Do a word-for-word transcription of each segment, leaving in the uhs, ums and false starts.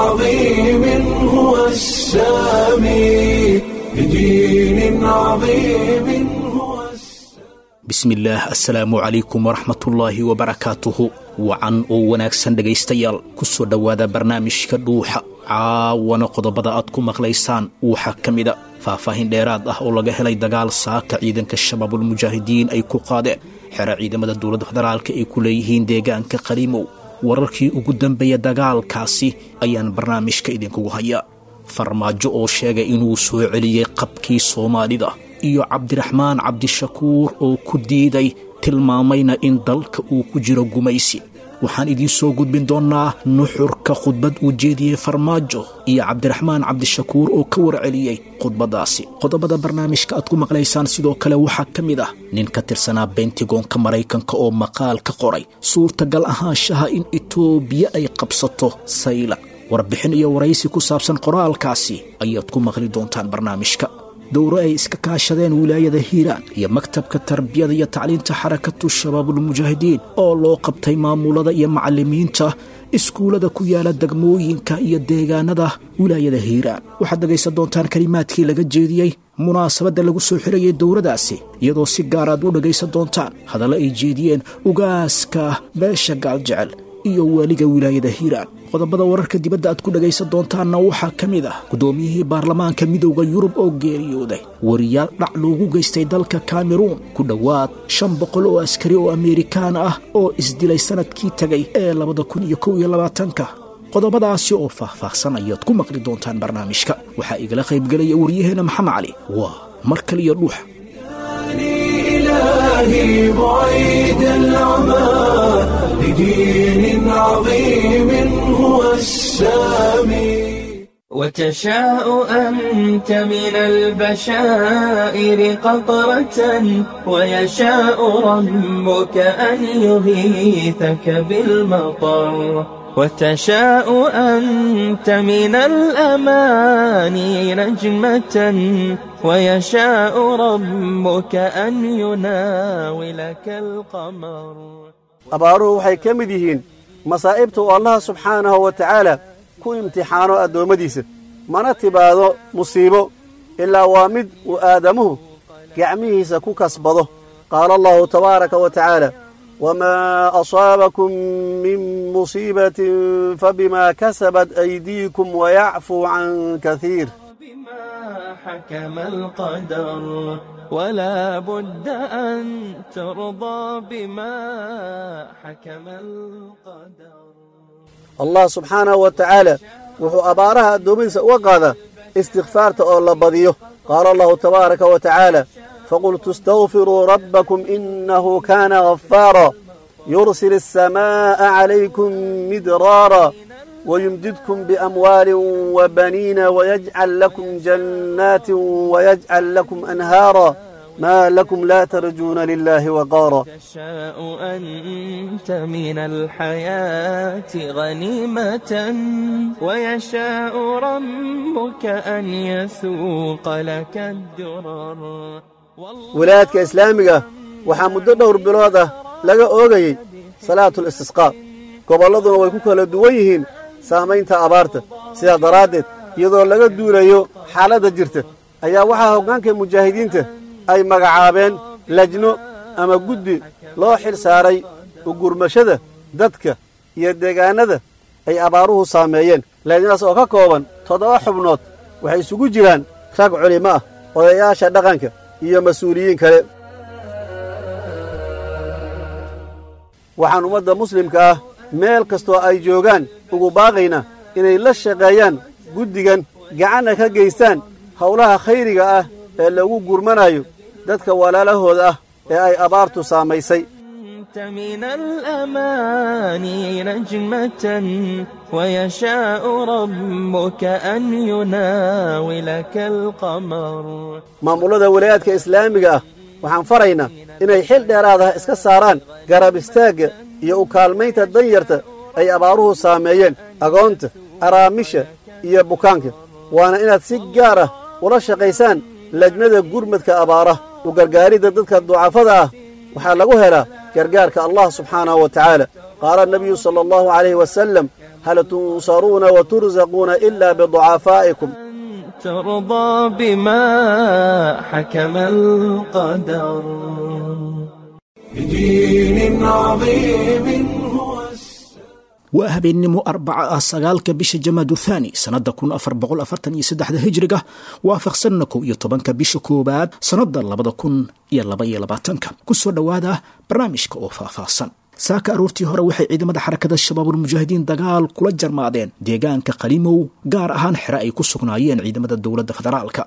عظيم هو السامي، لدين عظيم هو السامي. Bismillaah, assalaamu calaykum waraxmatullaahi wabarakaatuhu. Wacan oo wanaagsan dhegaystayaal, ku soo dhowaada barnaamijka Dhuuxa. Caawana qodobada aad ku maqlaysaan waxaa ka mida faahfaahin dheeraad ah oo laga helay dagaal saaka ciidanka Shabaabulmujaahidiin ay ku qaadeen xero ciidamada dowladda federaalka ay ku leeyihiin deegaanka Qaliimow. Wararkii ugu dambeeya dagaalkaasi ayaan barnaamijka idinkugu hayaa. Farmaajo oo sheegay inuu soo celiyey qabkii Soomaalida iyo Cabdiraxmaan Cabdishakuur oo ku diiday, tilmaamayna in dalka uu ku jiro gumaysi. Waxaan idiin soo gudbin doonnaa nuxurka khudbad uu jeediyey Farmaajo iyo Cabdiraxmaan Cabdishakuur oo ka warceliyey khudbaddaasi. Qodobada barnaamijka aad ku maqlaysaan sidoo kale waxaa ka mid ah nin ka tirsanaa Bentigoonka Maraykanka oo maqaal ka qoray suurtagal ahaanshaha in Itoobiya ay qabsato Sayla. Warbixin iyo waraysi ku saabsan qoraalkaasi ayaad ku maqli doontaan barnaamijka. Dowro ay iska kaashadeen wilaayada Hiiraan iyo maktabka tarbiyada iyo tacliinta Xarakatu Shabaabulmujaahidiin oo loo qabtay maamulada iyo macallimiinta iskuullada ku yaala degmooyinka iyo deegaanada wilaayada Hiiraan. Waxaad dhegaysan doontaan kelimaadkii laga jeediyey munaasabadda lagu soo xirayay dowradaasi, iyadoo si gaar aad u dhegaysan doontaan hadallo ay jeediyeen ugaaska beesha Gaaljecel iyo waaliga wilaayada Hiiraan. Qodobada wararka dibadda aad ku dhagaysan doontaanna waxaa ka mid ah guddoomiyihii baarlamaanka Midowda Yurub oo geeriyooday, wariyaal dhac loogu geystay dalka Kameruun, ku dhowaad shan boqol oo askari oo Ameerikaan ah oo isdilay sanadkii tegay ee labada kun iyo kow iyo labaatanka. Qodobadaasi oo faahfaahsan ayaad ku maqli doontaan barnaamijka. Waxaa igala qaybgelaya waryaheena Maxamed Cali. Waa mar kaliya Dhuuxa. إلهي بعيد العمى، لدين عظيم هو السامي. وتشاء أنت من البشائر قطرة، ويشاء ربك أن يغيثك بالمطر. وتشاء أنت من الأماني نجمة، ويشاء ربك أن يناولك القمر. Abaaruhu waxay ka mid yihiin masaa'ibta uu Allaha subxaanahu wa tacaala ku imtixaano addoommadiisa. Mana tibaado musiibo ilaa waa mid uu aadamuhu gacmihiisa ku kasbado. Qaala Allahu tabaaraka wa tacaala: wamaa asaabakum min musiibatin fabimaa kasabat aydiikum wayacfuu can kaiir. بما حكم القدر، ولا بد أن ترضى بما حكم القدر. Allah subxaanahu wa tacaala wuxuu abaaraha addoommadiisa uga qaadaa istikfaarta oo la badiyo. Qaala Allahu tabaaraka wa tacaala: faqultu istakfiruu rabbakum innahu kaana ghafaara, yursil asamaa'a calaykum midraara, wayumdidkum biamwaalin wabaniina, wayajcal lakum jannaatin wayajcal lakum anhaara, maa lakum laa tarjuuna lilaahi waqaara. تشاء أنت من الحياة غنيمة، ويشاء ربك أن يسوق لك الدرر. Wilaayadka islaamiga waxaa muddo dhowr bilood ah laga oogayey salaatul istisqaa. Gobolladuna way ku kala duwan yihiin saamaynta abaarta. Sidaa daraaddeed, iyadoo laga duulayo xaaladda jirta, ayaa waxaa hoggaanka mujaahidiinta ay magacaabeen lajno ama guddi loo xil saaray ugurmashada dadka iyo deegaannada ay abaaruhu saameeyeen. Lajnadaas oo ka kooban toddoba xubnood waxay isugu jiraan rag culimo ah, odayaasha dhaqanka iyo mas-uuliyiin kale. Waxaan ummadda muslimka ah meel kastoo ay joogaan ugu baaqaynaa inay la shaqeeyaan guddigan, gacanna ka geystaan howlaha khayriga ah ee lagu gurmanayo dadka walaalahooda ah ee ay abaartu saamaysay. أنت من الأماني نجمة، ويشاء ربك أن يناولك القمر. Maamullada walaayaadka islaamiga ah waxaan faraynaa inay xil dheeraadaha iska saaraan garab istaagga iyo u kaalmaynta danyarta ay abaaruhu saameeyeen, agoonta, araamisha iyo bukaanka. Waana inaad si gaar ah ula shaqaysaan lajnada gurmadka abaaraha. U gargaaridda dadka ducafada ah waxaa lagu helaa gargaarka Allah subxaanahu wa tacaala. Qaala anabiyu sala allahu calayhi wasalam: Hal tunsaruuna wa tursaquuna ilaa biducafaa'ikum. ترضى بما حكم القدر. بدين عظيم هو Waa habeennimo Arbaca ah, sagaalka bisha Jamaadu Thaani, sannadda kun afar boqol afartan iyo saddexda hijriga, waafaqsanna kow iyo tobanka bisha koowaad, sannadda labada kun iyo laba iyo labaatanka. Ku soo dhowaada barnaamijka oo faahfaahsan. Saaka aroortii hore waxay ciidamada Xarakada Shabaabulmujaahidiin dagaal kula jarmaadeen deegaanka Qalimow, gaar ahaan xere ay ku sugnaayeen ciidamada dowladda federaalka.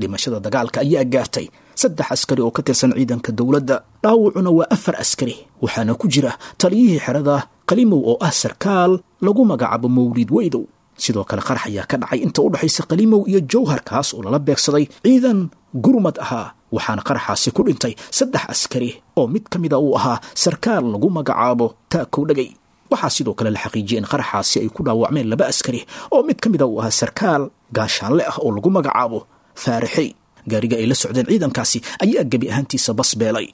Dhimashada dagaalka ayaa gaartay saddex askari oo ka tirsan ciidanka dowladda, dhaawacuna waa afar askari, waxaana ku jira taliyihii xerada Qalimow oo ah sarkaal lagu magacaabo Mawlid Weydow. Sidoo kale qarax ayaa ka dhacay inta u dhexaysa Qalimow iyo Jowhar, kaas oo lala beegsaday ciidan gurmad ahaa, waxaana qaraxaasi ku dhintay saddex askari oo mid ka mida uu ahaa sarkaal lagu magacaabo Taakow Dhegay. Waxaa sidoo kale la xaqiijiyey in qaraxaasi ay ku dhaawacmeen laba askari oo mid ka mida uu ahaa sarkaal gaashaanle ah oo lagu magacaabo Faarixey. Gaariga ay la socdeen ciidankaasi ayaa gebi ahaantiisa basbeelay.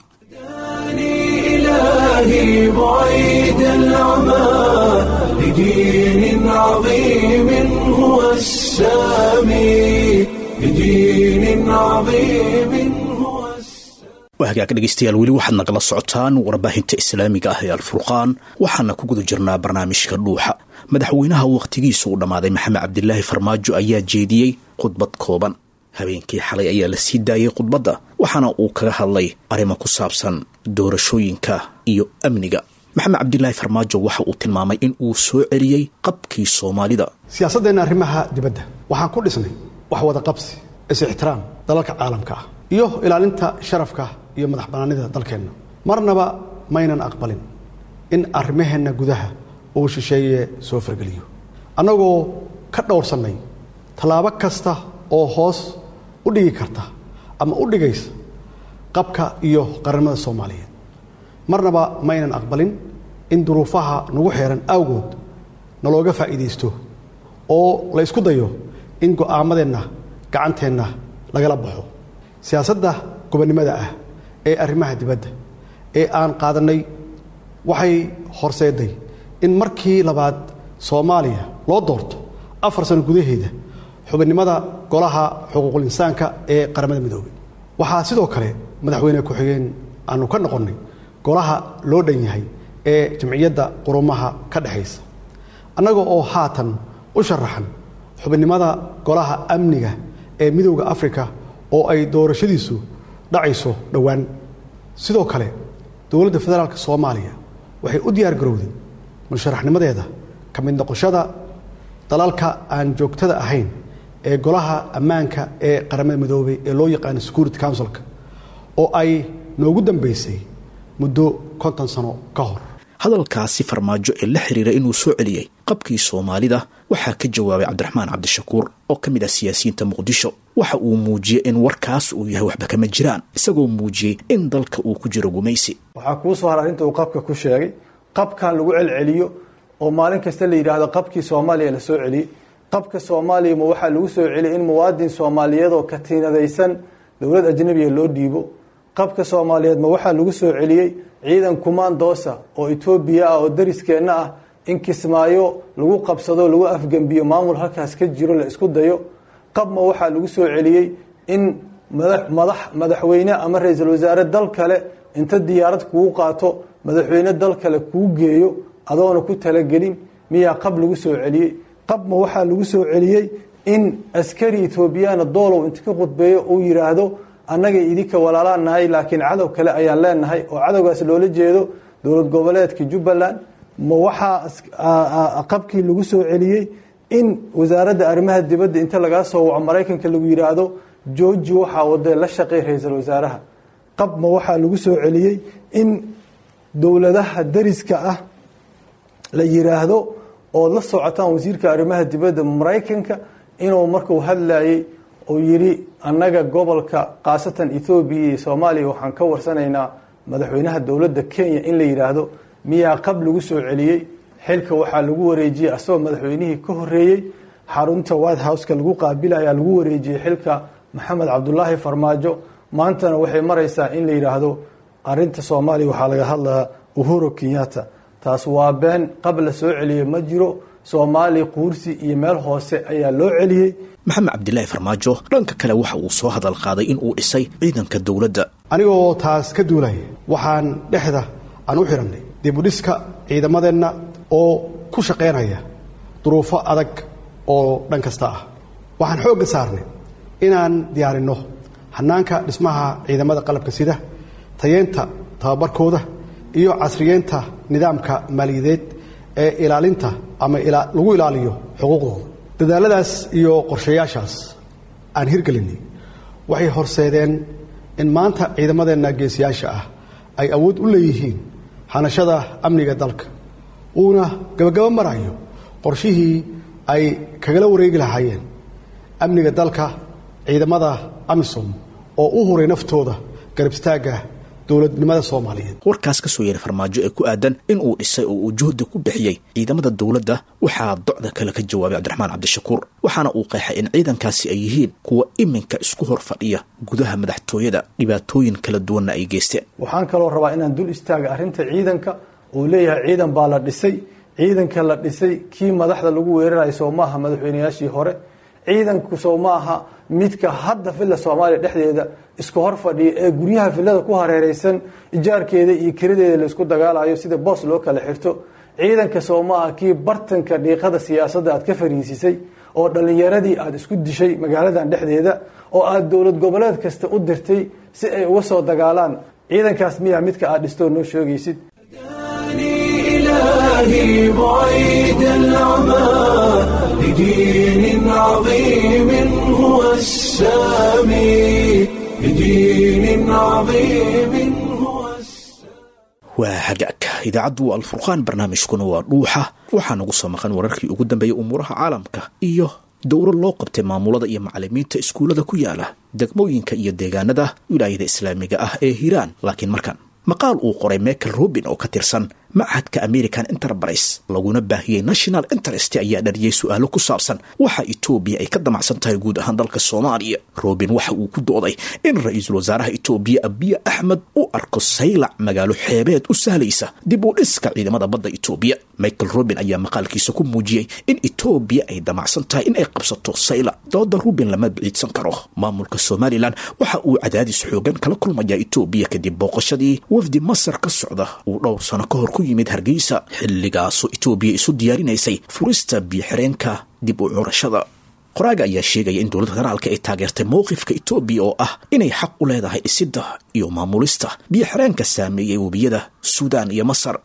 إلهي بعيد العمى لدين عظيم هو السامي، لدين عظيم هو السامي. Waa hagaag dhegaystayaal, weli waxaad nagala socotaan warbaahinta islaamiga ah ee Alfurqaan, waxaana ku guda jirnaa barnaamijka Dhuuxa. Madaxweynaha wakhtigiisu uu dhammaaday Maxamed Cabdilaahi Farmaajo ayaa jeediyey khudbad kooban. Habeenkii xalay ayaa la sii daayey khudbadda, waxaana uu kaga hadlay arrimo ku saabsan doorashooyinka iyo amniga. Maxamed Cabdilaahi Farmaajo waxa uu tilmaamay in uu soo celiyey qabkii Soomaalida. Siyaasaddeenna arrimaha dibadda waxaan ku dhisnay wax wada qabsi, is-ixtiraam dalalka caalamka ah iyo ilaalinta sharafka iyo madax bannaanida dalkeenna. Marnaba maynan aqbalin in arrimaheenna gudaha uu shisheeye soo fargeliyo, annagoo ka dhowrsannay tallaabo kasta oo hoos u dhigi karta ama u dhigaysa qabka iyo qarannimada Soomaaliyeed. Marnaba maynan aqbalin in duruufaha nagu xeeran awgood nalooga faa'iidaysto oo la isku dayo in go'aamadeenna gacanteenna lagala baxo. Siyaasadda gobonnimada ah ee arrimaha dibadda ee aan qaadannay waxay horseeday in markii labaad Soomaaliya loo doorto afar sano gudaheeda xubinnimada Golaha Xuquuqul Insaanka ee Qaramada Midoobay. Waxaa sidoo kale madaxweyne ku-xigeen aanu ka noqonnay golaha loo dhan yahay ee Jamciyadda Qurumaha ka dhexaysa, annaga oo haatan u sharaxan xubinnimada Golaha Amniga ee Midowda Afrika oo ay doorashadiisu dhacayso dhowaan. Sidoo kale, dowladda federaalka Soomaaliya waxay u diyaar garowday musharaxnimadeeda ka mid noqoshada dalalka aan joogtada ahayn ee Golaha Ammaanka ee Qaramada Midoobay ee loo yaqaano Security Councilka, oo ay noogu dambeysay muddo konton sano ka hor. Hadalkaasi Farmaajo ee la xiriira inuu soo celiyey qabkii Soomaalida waxaa ka jawaabay Cabdiraxmaan Cabdishakuur oo ka mid ah siyaasiyiinta Muqdisho. Waxa uu muujiyey in warkaas uu yahay waxba kama jiraan, isagoo muujiyey in dalka uu ku jiro gumaysi. Waxaa kuu soo har arrinta uu qabka ku sheegay, qabkan lagu celceliyo oo maalin kasta la yidhaahdo qabkii Soomaaliya la soo celiyey. Qabka Soomaaliya ma waxaa lagu soo celiyey in muwaadin Soomaaliyeed oo katiinadaysan dowlad ajnabiya loo dhiibo? Qabka Soomaaliyeed ma waxaa lagu soo celiyey ciidan kumaandoosa oo Etoobiya ah oo dariskeenna ah in Kismaayo lagu qabsado, lagu afgembiyo maamul halkaas ka jiro la isku dayo? Qab ma waxaa lagu soo celiyey in madax madaxweyne ama ra-iisul wasaare dal kale inta diyaarad kugu qaato madaxweyne dal kale kuu geeyo adoona ku talagelin? Miyaa qab lagu soo celiyey? Qab ma waxaa lagu soo celiyey in askari Etoobiyaana Doolow inta ka khudbeeyo uu yidhaahdo annaga idinka walaalaan nahay, laakiin cadow kale ayaan leenahay, oo cadowgaas loola jeedo dowlad goboleedka Jubbaland? Ma waxaa qabkii lagu soo celiyey in wasaaradda arrimaha dibadda inta lagaa soo waco Maraykanka lagu yidhaahdo jooji waxaa wadee, la shaqey ra-iisul wasaaraha? Qab ma waxaa lagu soo celiyey in dowladaha dariska ah la yidhaahdo ood la socotaan wasiirka arrimaha dibadda Maraykanka inuu markuu hadlayey uu yidhi annaga gobolka khaasatan Ethoobiya iyo Soomaaliya waxaan ka warsanaynaa madaxweynaha dowladda Kenya, in la yidhaahdo? Miyaa qab lagu soo celiyey? Xilka waxaa lagu wareejiyey asagoo madaxweynihii ka horreeyey xarunta White Houseka lagu qaabilayaa lagu wareejiyey xilka Maxamed Cabdulaahi Farmaajo. Maantana waxay maraysaa in la yidhaahdo arrinta Soomaaliya waxaa laga hadlayaa Uhuru Kenyatta. Taas waa been. Qab la soo celiyey ma jiro. Soomaaliya quursi iyo meel hoose ayaa loo celiyey. Maxamed Cabdilaahi Farmaajo dhanka kale waxa uu soo hadal qaaday in uu dhisay ciidanka dowladda. Anigoo taas ka duulaya, waxaan dhexda aan u xidhannay dib u dhiska ciidamadeenna oo ku shaqaynaya duruufo adag oo dhan kasta ah. Waxaan xoogga saarnay inaan diyaarinno hannaanka dhismaha ciidamada qalabka sida, tayeynta tababarkooda iyo casriyeynta nidaamka maaliyadeed ee ilaalinta ama lagu ilaaliyo xuquuqdooda. Dadaalladaas iyo qorshayaashaas aan hirgelinay waxay horseedeen in maanta ciidamadeenna geesiyaasha ah ay awood u leeyihiin hanashada amniga dalka, uuna gabagabo marayo qorshihii ay kagala wareegi lahaayeen amniga dalka ciidamada AMISOM oo u huray naftooda garab istaagga dowladnimada Soomaaliyeed. Warkaas ka soo yeeray Farmaajo ee ku aadan in uu dhisay oo uu juhdi ku bixiyey ciidamada dowladda waxaa docda kale ka jawaabay Cabdiraxmaan Cabdishakuur, waxaana uu qeexay in ciidankaasi ay yihiin kuwa iminka isku hor fadhiya gudaha madaxtooyada, dhibaatooyin kala duwanna ay geysteen. Waxaan kaloo rabaa inaan dul istaaga arrinta ciidanka uu leeyahay ciidan baa la dhisay. Ciidanka la dhisay kii madaxda lagu weerarayo soo maaha madaxweynayaashii hore? Ciidanku soo maaha midka hadda Villa Soomaaliya dhexdeeda isku hor fadhiya ee guryaha villada ku hareereysan ijaarkeeda iyo kiradeeda laisku dagaalayo sida boos loo kala xirto? Ciidanka soo maaha kii bartanka dhiiqada siyaasadda aad ka fariisisay oo dhallinyaradii aad isku dishay magaaladan dhexdeeda oo aad dowlad goboleed kasta u dirtay si ay uga soo dagaalaan? Ciidankaas miyaa midka aad dhistoo noo sheegaysid? إلهي بعيد العمى لدين عظيم هو السامي، لدين عظيم هو. Waa hagaag, idaacaddu waa Alfurqaan, barnaamijkuna waa Dhuuxa. Waxaa nagu soo maqan wararkii ugu dambeeyay umuuraha caalamka iyo dowro loo qabtay maamulada iyo macalimiinta iskuullada ku yaala degmooyinka iyo deegaanada wilaayada islaamiga ah ee Hiiraan. Laakiin markan, maqaal uu qoray Michael Rubin oo ka tirsan machadka American Enterprise laguna baahiyey National Interest ayaa dhaliyey su-aalo ku saabsan waxa Etoobiya ay ka damacsan tahay guud ahaan dalka Soomaaliya. Rubin waxa uu ku dooday in ra-iisul wasaaraha Etoobiya Abiya Axmed u arko Saylac magaalo xeebeed u sahlaysa dib u dhiska ciidamada badda Etoobiya. Michael Rubin ayaa maqaalkiisa ku muujiyey in Etoobiya ay damacsan tahay in ay qabsato Saylac. Dooda Rubin lama biciidsan karo. Maamulka Somalilan waxa uu cadaadis xoogan kala kulmaya Etoobiya kadib booqashadii wafdi Masar ka socda uu dhowr sano ka hor ku yimid Hargeysa, xilligaasoo Etoobiya isu diyaarinaysay furista biyo-xireenka dib u curashada. Qoraaga ayaa sheegaya in dowladda federaalka ay taageertay mowqifka Etoobiya oo ah inay xaq u leedahay dhisidda iyo maamulista biyo-xireenka saameeyey webiyada Suudaan iyo Masar.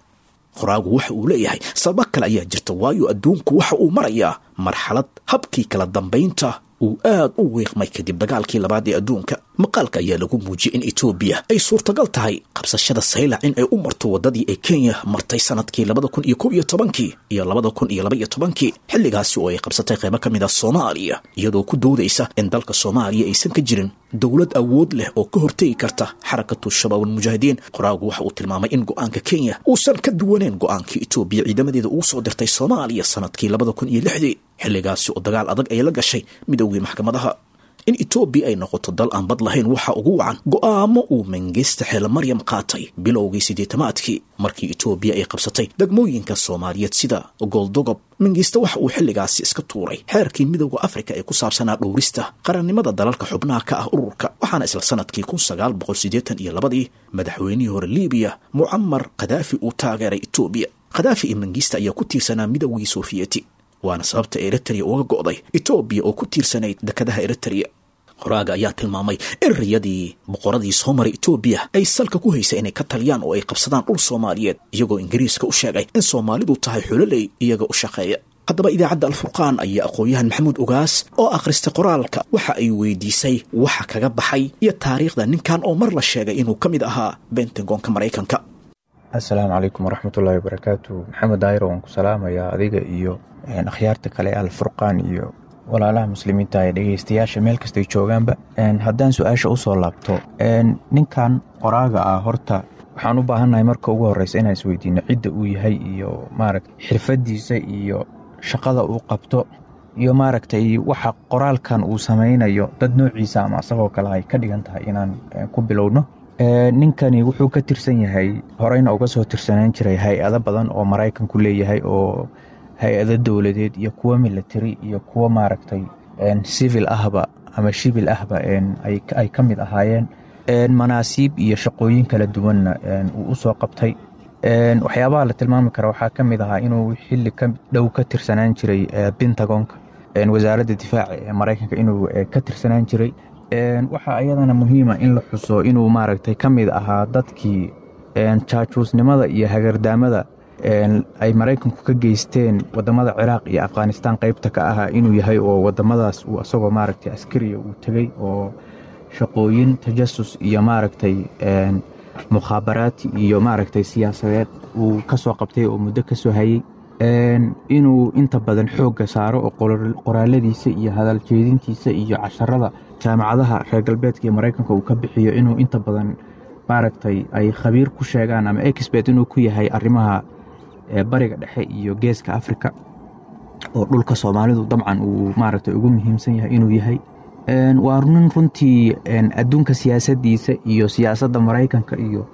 Qoraagu waxa uu leeyahay sababo kale ayaa jirta, waayo adduunku waxa uu marayaa marxalad habkii kala dambaynta uu aad u wiiqmay kadib dagaalkii labaad ee adduunka. Maqaalka ayaa lagu muujiyey in Etoobiya ay suurtagal tahay qabsashada Saylac in ay u marto waddadii ay Kenya martay sanadkii labada kun iyo kow iyo tobankii iyo labada kun iyo laba iyo tobankii, xilligaasi oo ay qabsatay qaybo ka mid ah Soomaaliya, iyadoo ku doodaysa in dalka Soomaaliya aysan ka jirin dowlad awood leh oo ka hortegi karta Xarakatu Shabaab Almujaahidiin. Qoraagu waxa uu tilmaamay in go-aanka Kenya uusan ka duwaneyn go-aankii Etoobiya ciidamadeeda ugu soo dirtay Soomaaliya sanadkii labada kun iyo lixdii, xilligaasi oo dagaal adag ay la gashay midoogii maxkamadaha. In Etoobiya ay noqoto dal aan bad lahayn waxa ugu wacan go'aamo uu Mengista Xeele Maryam qaatay bilowgii siddeetamaadkii markii Etoobiya ay qabsatay degmooyinka Soomaaliyeed sida Gooldogob. Mengista waxa uu xilligaasi iska tuuray xeerkii Midowda Afrika ee ku saabsanaa dhowrista qarannimada dalalka xubnaha ka ah ururka, waxaana isla sanadkii kun sagaal boqol siddeetan iyo labadii madaxweynihii hore Libiya Mucamar Khadaafi uu taageeray Etoobiya. Khadaafi iyo Mengista ayaa ku tiirsanaa midowgii Sofiyeeti, waana sababta Eritrea uga go'day Etoobiya oo ku tiirsanayd dekadaha Eritrea. Qoraaga ayaa tilmaamay in riyadii boqoradii soo maray Etoobiya ay salka ku haysay inay ka taliyaan oo ay qabsadaan dhul Soomaaliyeed, iyagoo Ingiriiska u sheegay in Soomaalidu tahay xuloley iyaga u shaqeeya. Haddaba idaacadda Alfurqaan ayaa aqoon-yahan Maxamuud Ogaas oo akhristay qoraalka waxa ay weydiisay waxa kaga baxay iyo taariikhda ninkan oo mar la sheegay inuu ka mid ahaa Bentagonka Maraykanka. Assalaamu calaykum waraxmatullaahi wabarakaatu. Maxamed Daayiro, waan ku salaamayaa adiga iyo akhyaarta kale Alfurqaan iyo walaalaha muslimiinta ee dhegeystayaasha meel kastay joogaanba. Haddaan su-aasha usoo laabto, ninkan qoraaga ah horta waxaan u baahannahay marka ugu horeysa inaan isweydiino cidda uu yahay iyo maaragta xirfadiisa iyo shaqada uu qabto iyo maaragtay waxa qoraalkan uu samaynayo dad noociisa ama asagoo kale ay ka dhigan tahay inaan ku bilowno. Ninkani wuxuu ka tirsan yahay, horeyna uga soo tirsanaan jiray hay-ado badan oo Maraykanku leeyahay, oo hay-ado dowladeed iyo kuwo military iyo kuwo maaragtay civil ahba ama shibil ahba ay ka mid ahaayeen, manaasiib iyo shaqooyin kala duwanna uu usoo qabtay. Waxyaabaha la tilmaami kara waxaa ka mid ahaa inuu xilli ka dhow ka tirsanaan jiray Pentagonka, wasaaradda difaaca ee Maraykanka inuu ka tirsanaan jiray. Waxaa iyadana muhiima in la xuso inuu maaragtay ka mid ahaa dadkii jaajuusnimada iyo hagardaamada ay Maraykanku ka geysteen wadamada Ciraaq iyo Afghanistan qeybta ka ahaa inuu yahay, oo wadamadaas uu asagoo maaragtay askariya uu tegey oo shaqooyin tajasus iyo maaragtay mukhaabaraati iyo maaragtay siyaasadeed uu ka soo qabtay oo muddo ka soo hayey. Inuu inta badan xoogga saaro oo qoraaladiisa iyo hadal jeedintiisa iyo casharada jaamacadaha reer galbeedka iyo Maraykanka uu ka bixiyo inuu inta badan maaragtay ay khabiir ku sheegaan ama expert inuu ku yahay arrimaha Bariga Dhexe iyo Geeska Afrika, oo dhulka Soomaalidu dabcan uu maaragtay ugu muhiimsan yahay inuu yahay. Waa nin runtii adduunka siyaasaddiisa iyo siyaasadda Maraykanka iyo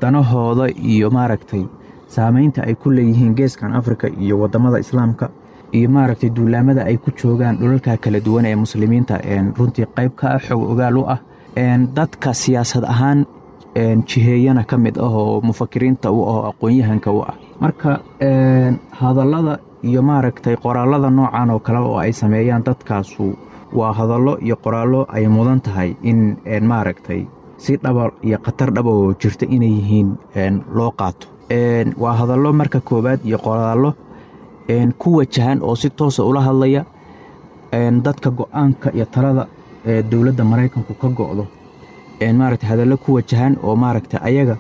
danahooda iyo maaragtay saameynta ay ku leeyihiin geeskan Afrika iyo wadamada Islaamka iyo maaragtay duulaamada ay ku joogaan dhulalka kala duwan ee muslimiinta runtii qayb ka ah, xog ogaal u ah, dadka siyaasad ahaan jiheeyana ka mid ah oo mufakiriinta u ah oo aqoon-yahanka u ah. Marka hadallada iyo maaragtay qoraalada noocan oo kale oo ay sameeyaan dadkaasu waa hadallo iyo qoraallo ay mudan tahay in maaragtay si dhaba iyo khatar dhaba oo jirta inay yihiin loo qaato. Waa hadallo marka koowaad iyo qoraallo ku wajahan oo si toosa ula hadlaya dadka go-aanka iyo talada ee dowladda Maraykanku ka go'do, maaragtay hadallo ku wajahan oo maaragtay ayaga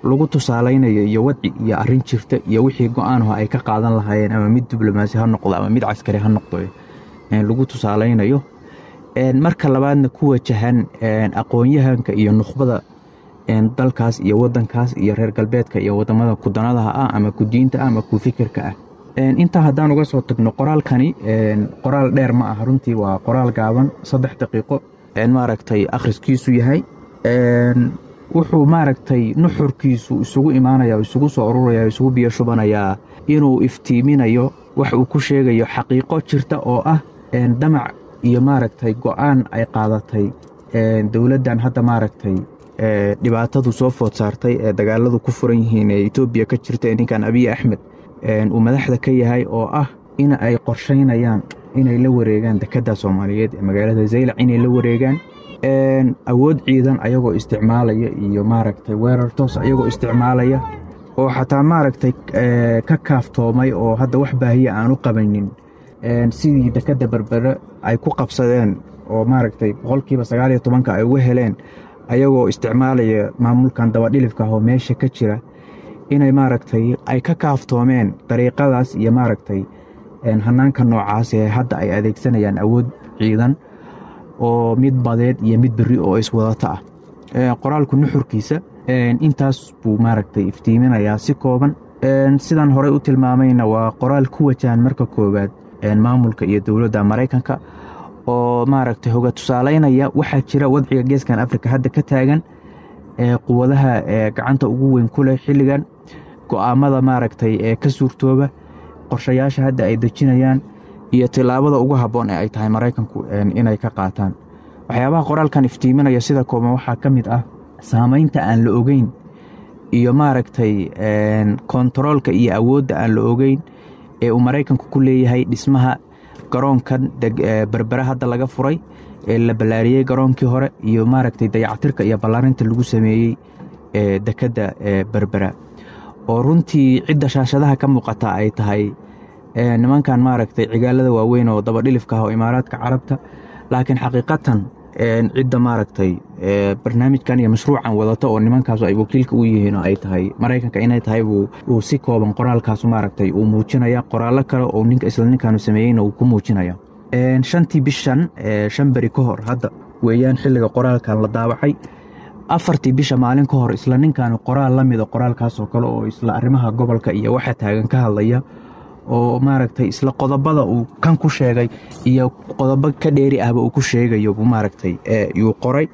lagu tusaaleynayo iyo wadci iyo arrin jirta iyo wixii go-aanho ay ka qaadan lahaayeen, ama mid diblomaasi ha noqdo ama mid caskari ha noqdo, lagu tusaaleynayo. Marka labaadna ku wajahan aqoon-yahanka iyo nukhbada dalkaas iyo wadankaas iyo reer galbeedka iyo wadamada kudanadaha ah ama kudiinta ah ama ku fikirka ah. Intaa haddaan uga soo tagno, qoraalkani qoraal dheer ma aha runtii, waa qoraal gaaban, saddex daqiiqo maaragtay akhriskiisu yahay. Wuxuu maaragtay nuxurkiisu isugu imaanaya, isugu soo ururaya, isugu biyo shubanayaa inuu iftiiminayo wax uu ku sheegayo xaqiiqo jirta oo ah damac iyo maaragtay go-aan ay qaadatay dowladdan hadda maaragtay dhibaatadu soo food saartay ee dagaaladu ku furan yihiin ee Etoobiya ka jirta ee ninkan Abiy Axmed uu madaxda ka yahay, oo ah in ay qorsheynayaan inay la wareegaan dekedda Soomaaliyeed ee magaalada Zaylac, inay la wareegaan awood ciidan ayagoo isticmaalaya iyo maaragtay weerar toos ayagoo isticmaalaya, oo xataa maaragtay ka kaaftoomay oo hadda wax baahiya aan u qabanin sidii dekedda Berbere ay ku qabsadeen oo maaragtay boqolkiiba sagaal iyo tobanka ay uga heleen ayagoo isticmaalaya maamulkan dabadhilifka ah oo meesha ka jira, inay maaragtay ay ka kaaftoomeen dariiqadaas iyo maaragtay hanaanka noocaas ee hadda ay adeegsanayaan awood ciidan oo mid badeed iyo mid berri oo iswadata ah. Qoraalku nuxurkiisa intaas buu maaragtay iftiiminayaa si kooban. Sidaan horey u tilmaamayna waa qoraal ku wajahan marka koowaad maamulka iyo dowladda Maraykanka oo maaragtay hoga tusaaleynaya waxaa jira wadciga geeskan Afrika hadda ka taagan ee quwadaha gacanta ugu weyn ku leh xilligan, go'aamada maaragtay ee ka suurtooba, qorshayaasha hadda ay dejinayaan iyo tillaabada ugu habboon ee ay tahay Maraykanku inay ka qaataan. Waxyaabaha qoraalkan iftiiminaya sida kooban waxaa ka mid ah saameynta aan la ogeyn iyo maaragtay kontaroolka iyo awoodda aan la ogeyn ee uu Maraykanku ku leeyahay dhismaha garoonkan Berbera hadda laga furay ee la ballaariyey garoonkii hore iyo maaragtay dayactirka iyo ballaarinta lagu sameeyey ee dekedda Berbera, oo runtii cidda shaashadaha ka muuqata ay tahay nimankan maaragtay cigaalada waaweyn oo dabadhilifka ah oo Imaaraadka Carabta, laakiin xaqiiqatan cidda maaragtay barnaamijkan iyo mashruucan wadata oo nimankaasu ay wakiilka u yihiin oo ay tahay Maraykanka inay tahay uu si kooban qoraalkaasu maaragtay uu muujinaya. Qoraallo kale oo ninka isla ninkaanu sameeyeyna uu ku muujinaya. Shantii bishan, shan beri ka hor hadda weeyaan xilliga qoraalkan la daawacay, afartii bisha maalin ka hor isla ninkaanu qoraal la mida qoraalkaasoo kale oo isla arrimaha gobolka iyo waxa taagan ka hadlaya oo maaragtay isla qodobada uu kan ku sheegay iyo qodobo ka dheeri ahba uu ku sheegayo buu maaragtay yuu qoray.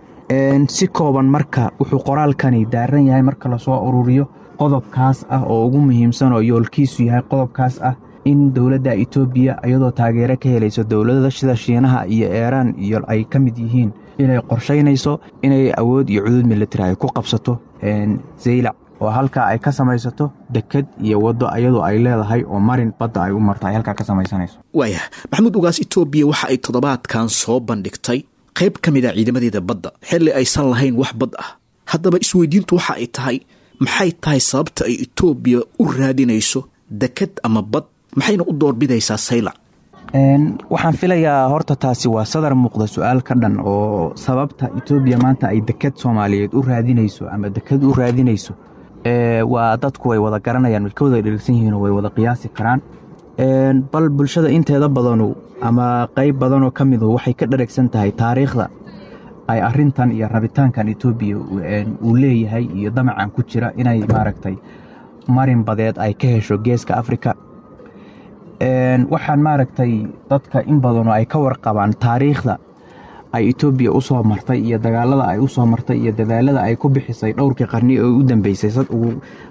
Si kooban marka wuxuu qoraalkani daaran yahay marka lasoo ururiyo qodobkaas ah oo ugu muhiimsan oo yoolkiisu yahay qodobkaas ah in dowladda Itoobiya iyadoo taageero ka helayso dowladada sida Shiinaha iyo Iiraan iyo ay ka mid yihiin inay qorsheynayso inay awood iyo cudud military ay ku qabsato Zaylac oo halkaa ay ka samaysato dekad iyo waddo iyadoo ay leedahay oo marin badda ay u marto ay halkaa ka samaysanayso. Waaya Maxamuud Ugaas, Itoobiya waxa ay toddobaadkan soo bandhigtay qayb ka mid a ciidamadeeda badda xilli aysan lahayn wax bad ah. Haddaba isweydiintu waxa ay tahay, maxay tahay sababta ay Itoobiya u raadinayso dekad ama bad, maxayna u doorbidaysaa Saylac? Waxaan filayaa horta taasi waa sadar muuqda su-aal ka dhan oo sababta Itoobiya maanta ay dekad Soomaaliyeed u raadinayso ama dekad u raadinayso waa dadku way wada garanayaan, way ka wada dhergsan yihiin oo way wada qiyaasi karaan. Bal bulshada inteeda badanu ama qayb badanoo ka midu waxay ka dheragsan tahay taariikhda ay arintan iyo rabitaankan Itoobiya uu leeyahay iyo damacan ku jira inay maaragtay marin badeed ay ka hesho geeska Afrika. Waxaan maaragtay dadka in badanoo ay ka warqabaan taariikhda ay Itoobiya u soo martay iyo dagaalada ay u soo martay iyo dadaalada ay ku bixisay dhowrkii qarni oo u dambeysay,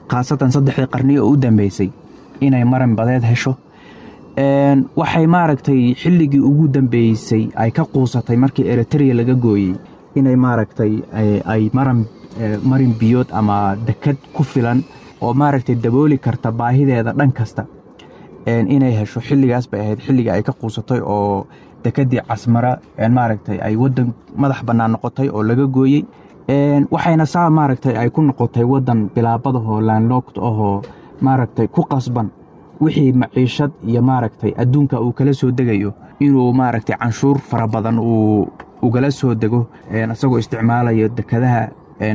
khaasatan saddexdii qarni oo u dambeysay inay marin badeed hesho. Waxay maaragtay xilligii ugu dambeysay ay ka quusatay markii Eritrea laga gooyey inay maaragtay ay maran marin biyood ama dekad ku filan oo maaragtay dabooli karta baahideeda dhan kasta inay hesho. Xilligaas bay ahayd xilliga ay ka quusatay oo dekadii Casmara maaragtay ay wadan madax bannaan noqotay oo laga gooyey. Waxayna saa maaragtay ay ku noqotay wadan bilaabadahoo landlocked ahoo maaragtay ku qasban wixii maciishad iyo maaragtay adduunka uu kala soo degayo inuu maaragtay canshuur fara badan uu ugala soo dego isagoo isticmaalayo dekadaha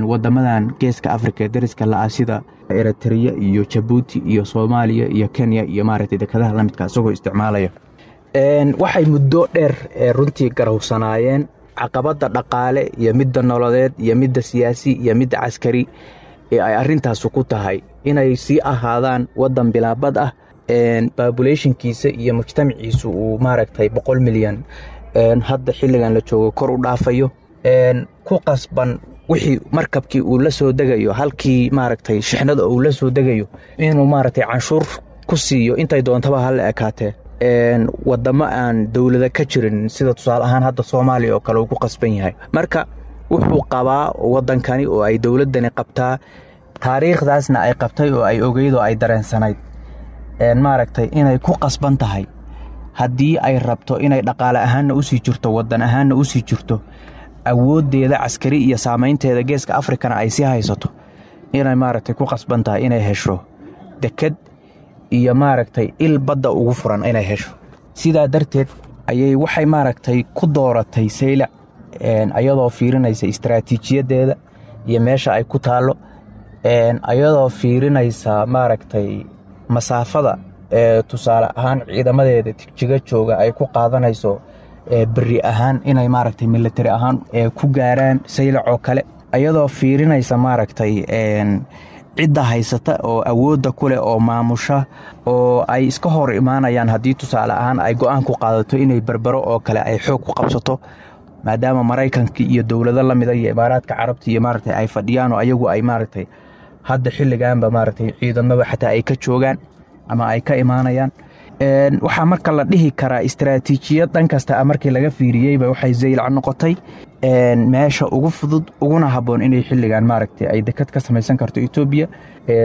wadamadan geeska Afrika ee dariska la-ah sida Eritrea iyo Jabuuti iyo Soomaaliya iyo Kenya iyo maaragtay dekadaha la midka isagoo isticmaalaya. Waxay muddo dheer runtii garowsanaayeen caqabadda dhaqaale iyo midda nololeed iyo midda siyaasi iyo midda caskari ee ay arintaasu ku tahay inay sii ahaadaan wadan bilaabad ah, populationkiisa iyo mujtamaciisu uu maaragtay boqol milyan hadda xilligan la joogo kor u dhaafayo, ku qasban wixii markabkii uu la soo degayo halkii maaragtay shixnada uu la soo degayo inuu maaragtay canshuur ku siiyo intay doontaba ha la ekaatee wadamo aan dowlada ka jirin sida tusaale ahaan hadda Soomaaliya oo kale uu ku qasban yahay. Marka wuxuu qabaa wadankani oo ay dowladani qabtaa taariikhdaasna ay qabtay oo ay ogeyd oo ay dareensanayd maaragtay inay ku qasban tahay haddii ay rabto inay dhaqaale ahaanna usii jirto, wadan ahaanna usii jirto, awooddeeda caskari iyo saameynteeda geeska Afrikana ay sii haysato, inay maaragtay ku qasban tahay inay hesho dekad iyo maaragtay il badda ugu furan inay hesho. Sidaa darteed ayay waxay maaragtay ku dooratay Saylac ayadoo fiirinaysa istaraatiijiyadeeda iyo meesha ay ku taallo, ayadoo fiirinaysa maaragtay masaafada ee tusaale ahaan ciidamadeeda tigjiga jooga ay ku qaadanayso beri ahaan inay maaragtay military ahaan ku gaaraan Saylac oo kale, ayadoo fiirinaysa maaragtay cidda haysata oo awoodda ku leh oo maamusha oo ay iska hor imaanayaan haddii tusaale ahaan ay go'aan ku qaadato inay Berbero oo kale ay xoog ku qabsato, maadaama Maraykanka iyo dowlado la mida iyo Imaaraadka Carabta iyo maaragtay ay fadhiyaan oo ayagu ay maaragtay hadda xilligaanba maaragtay ciidamada xataa ay ka joogaan ama ay ka imaanayaan. Waxaa marka la dhihi karaa istaraatiijiyad dhan kasta markii laga fiiriyeyba waxay Zaylac noqotay meesha ugu fudud uguna habboon inay xilligan maaragtay ay dekad ka samaysan karto Itoobiya,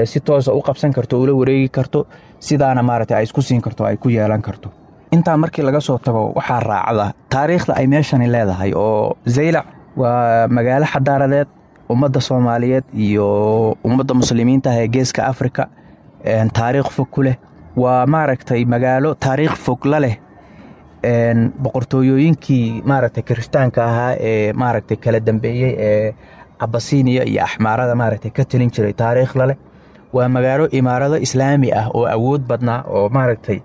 si toosa u qabsan karto, ula wareegi karto, sidaana maaragtay ay isku siin karto, ay ku yeelan karto. Intaa markii laga soo tago waxaa raacda taariikhda ay meeshani leedahay oo Zaylac waa magaalo xadaaradeed ummadda Soomaaliyeed iyo ummadda muslimiinta ah ee geeska Afrika taariikh fog ku leh. Waa maaragtay magaalo taariikh fog la leh boqortooyooyinkii maaragtay kiristaanka ahaa ee maaragtay kala dambeeyey ee Abasiiniya iyo Axmaarada maaragtay ka talin jiray taariikh la leh. Waa magaalo imaarado islaami ah oo awood badnaa oo maaragtay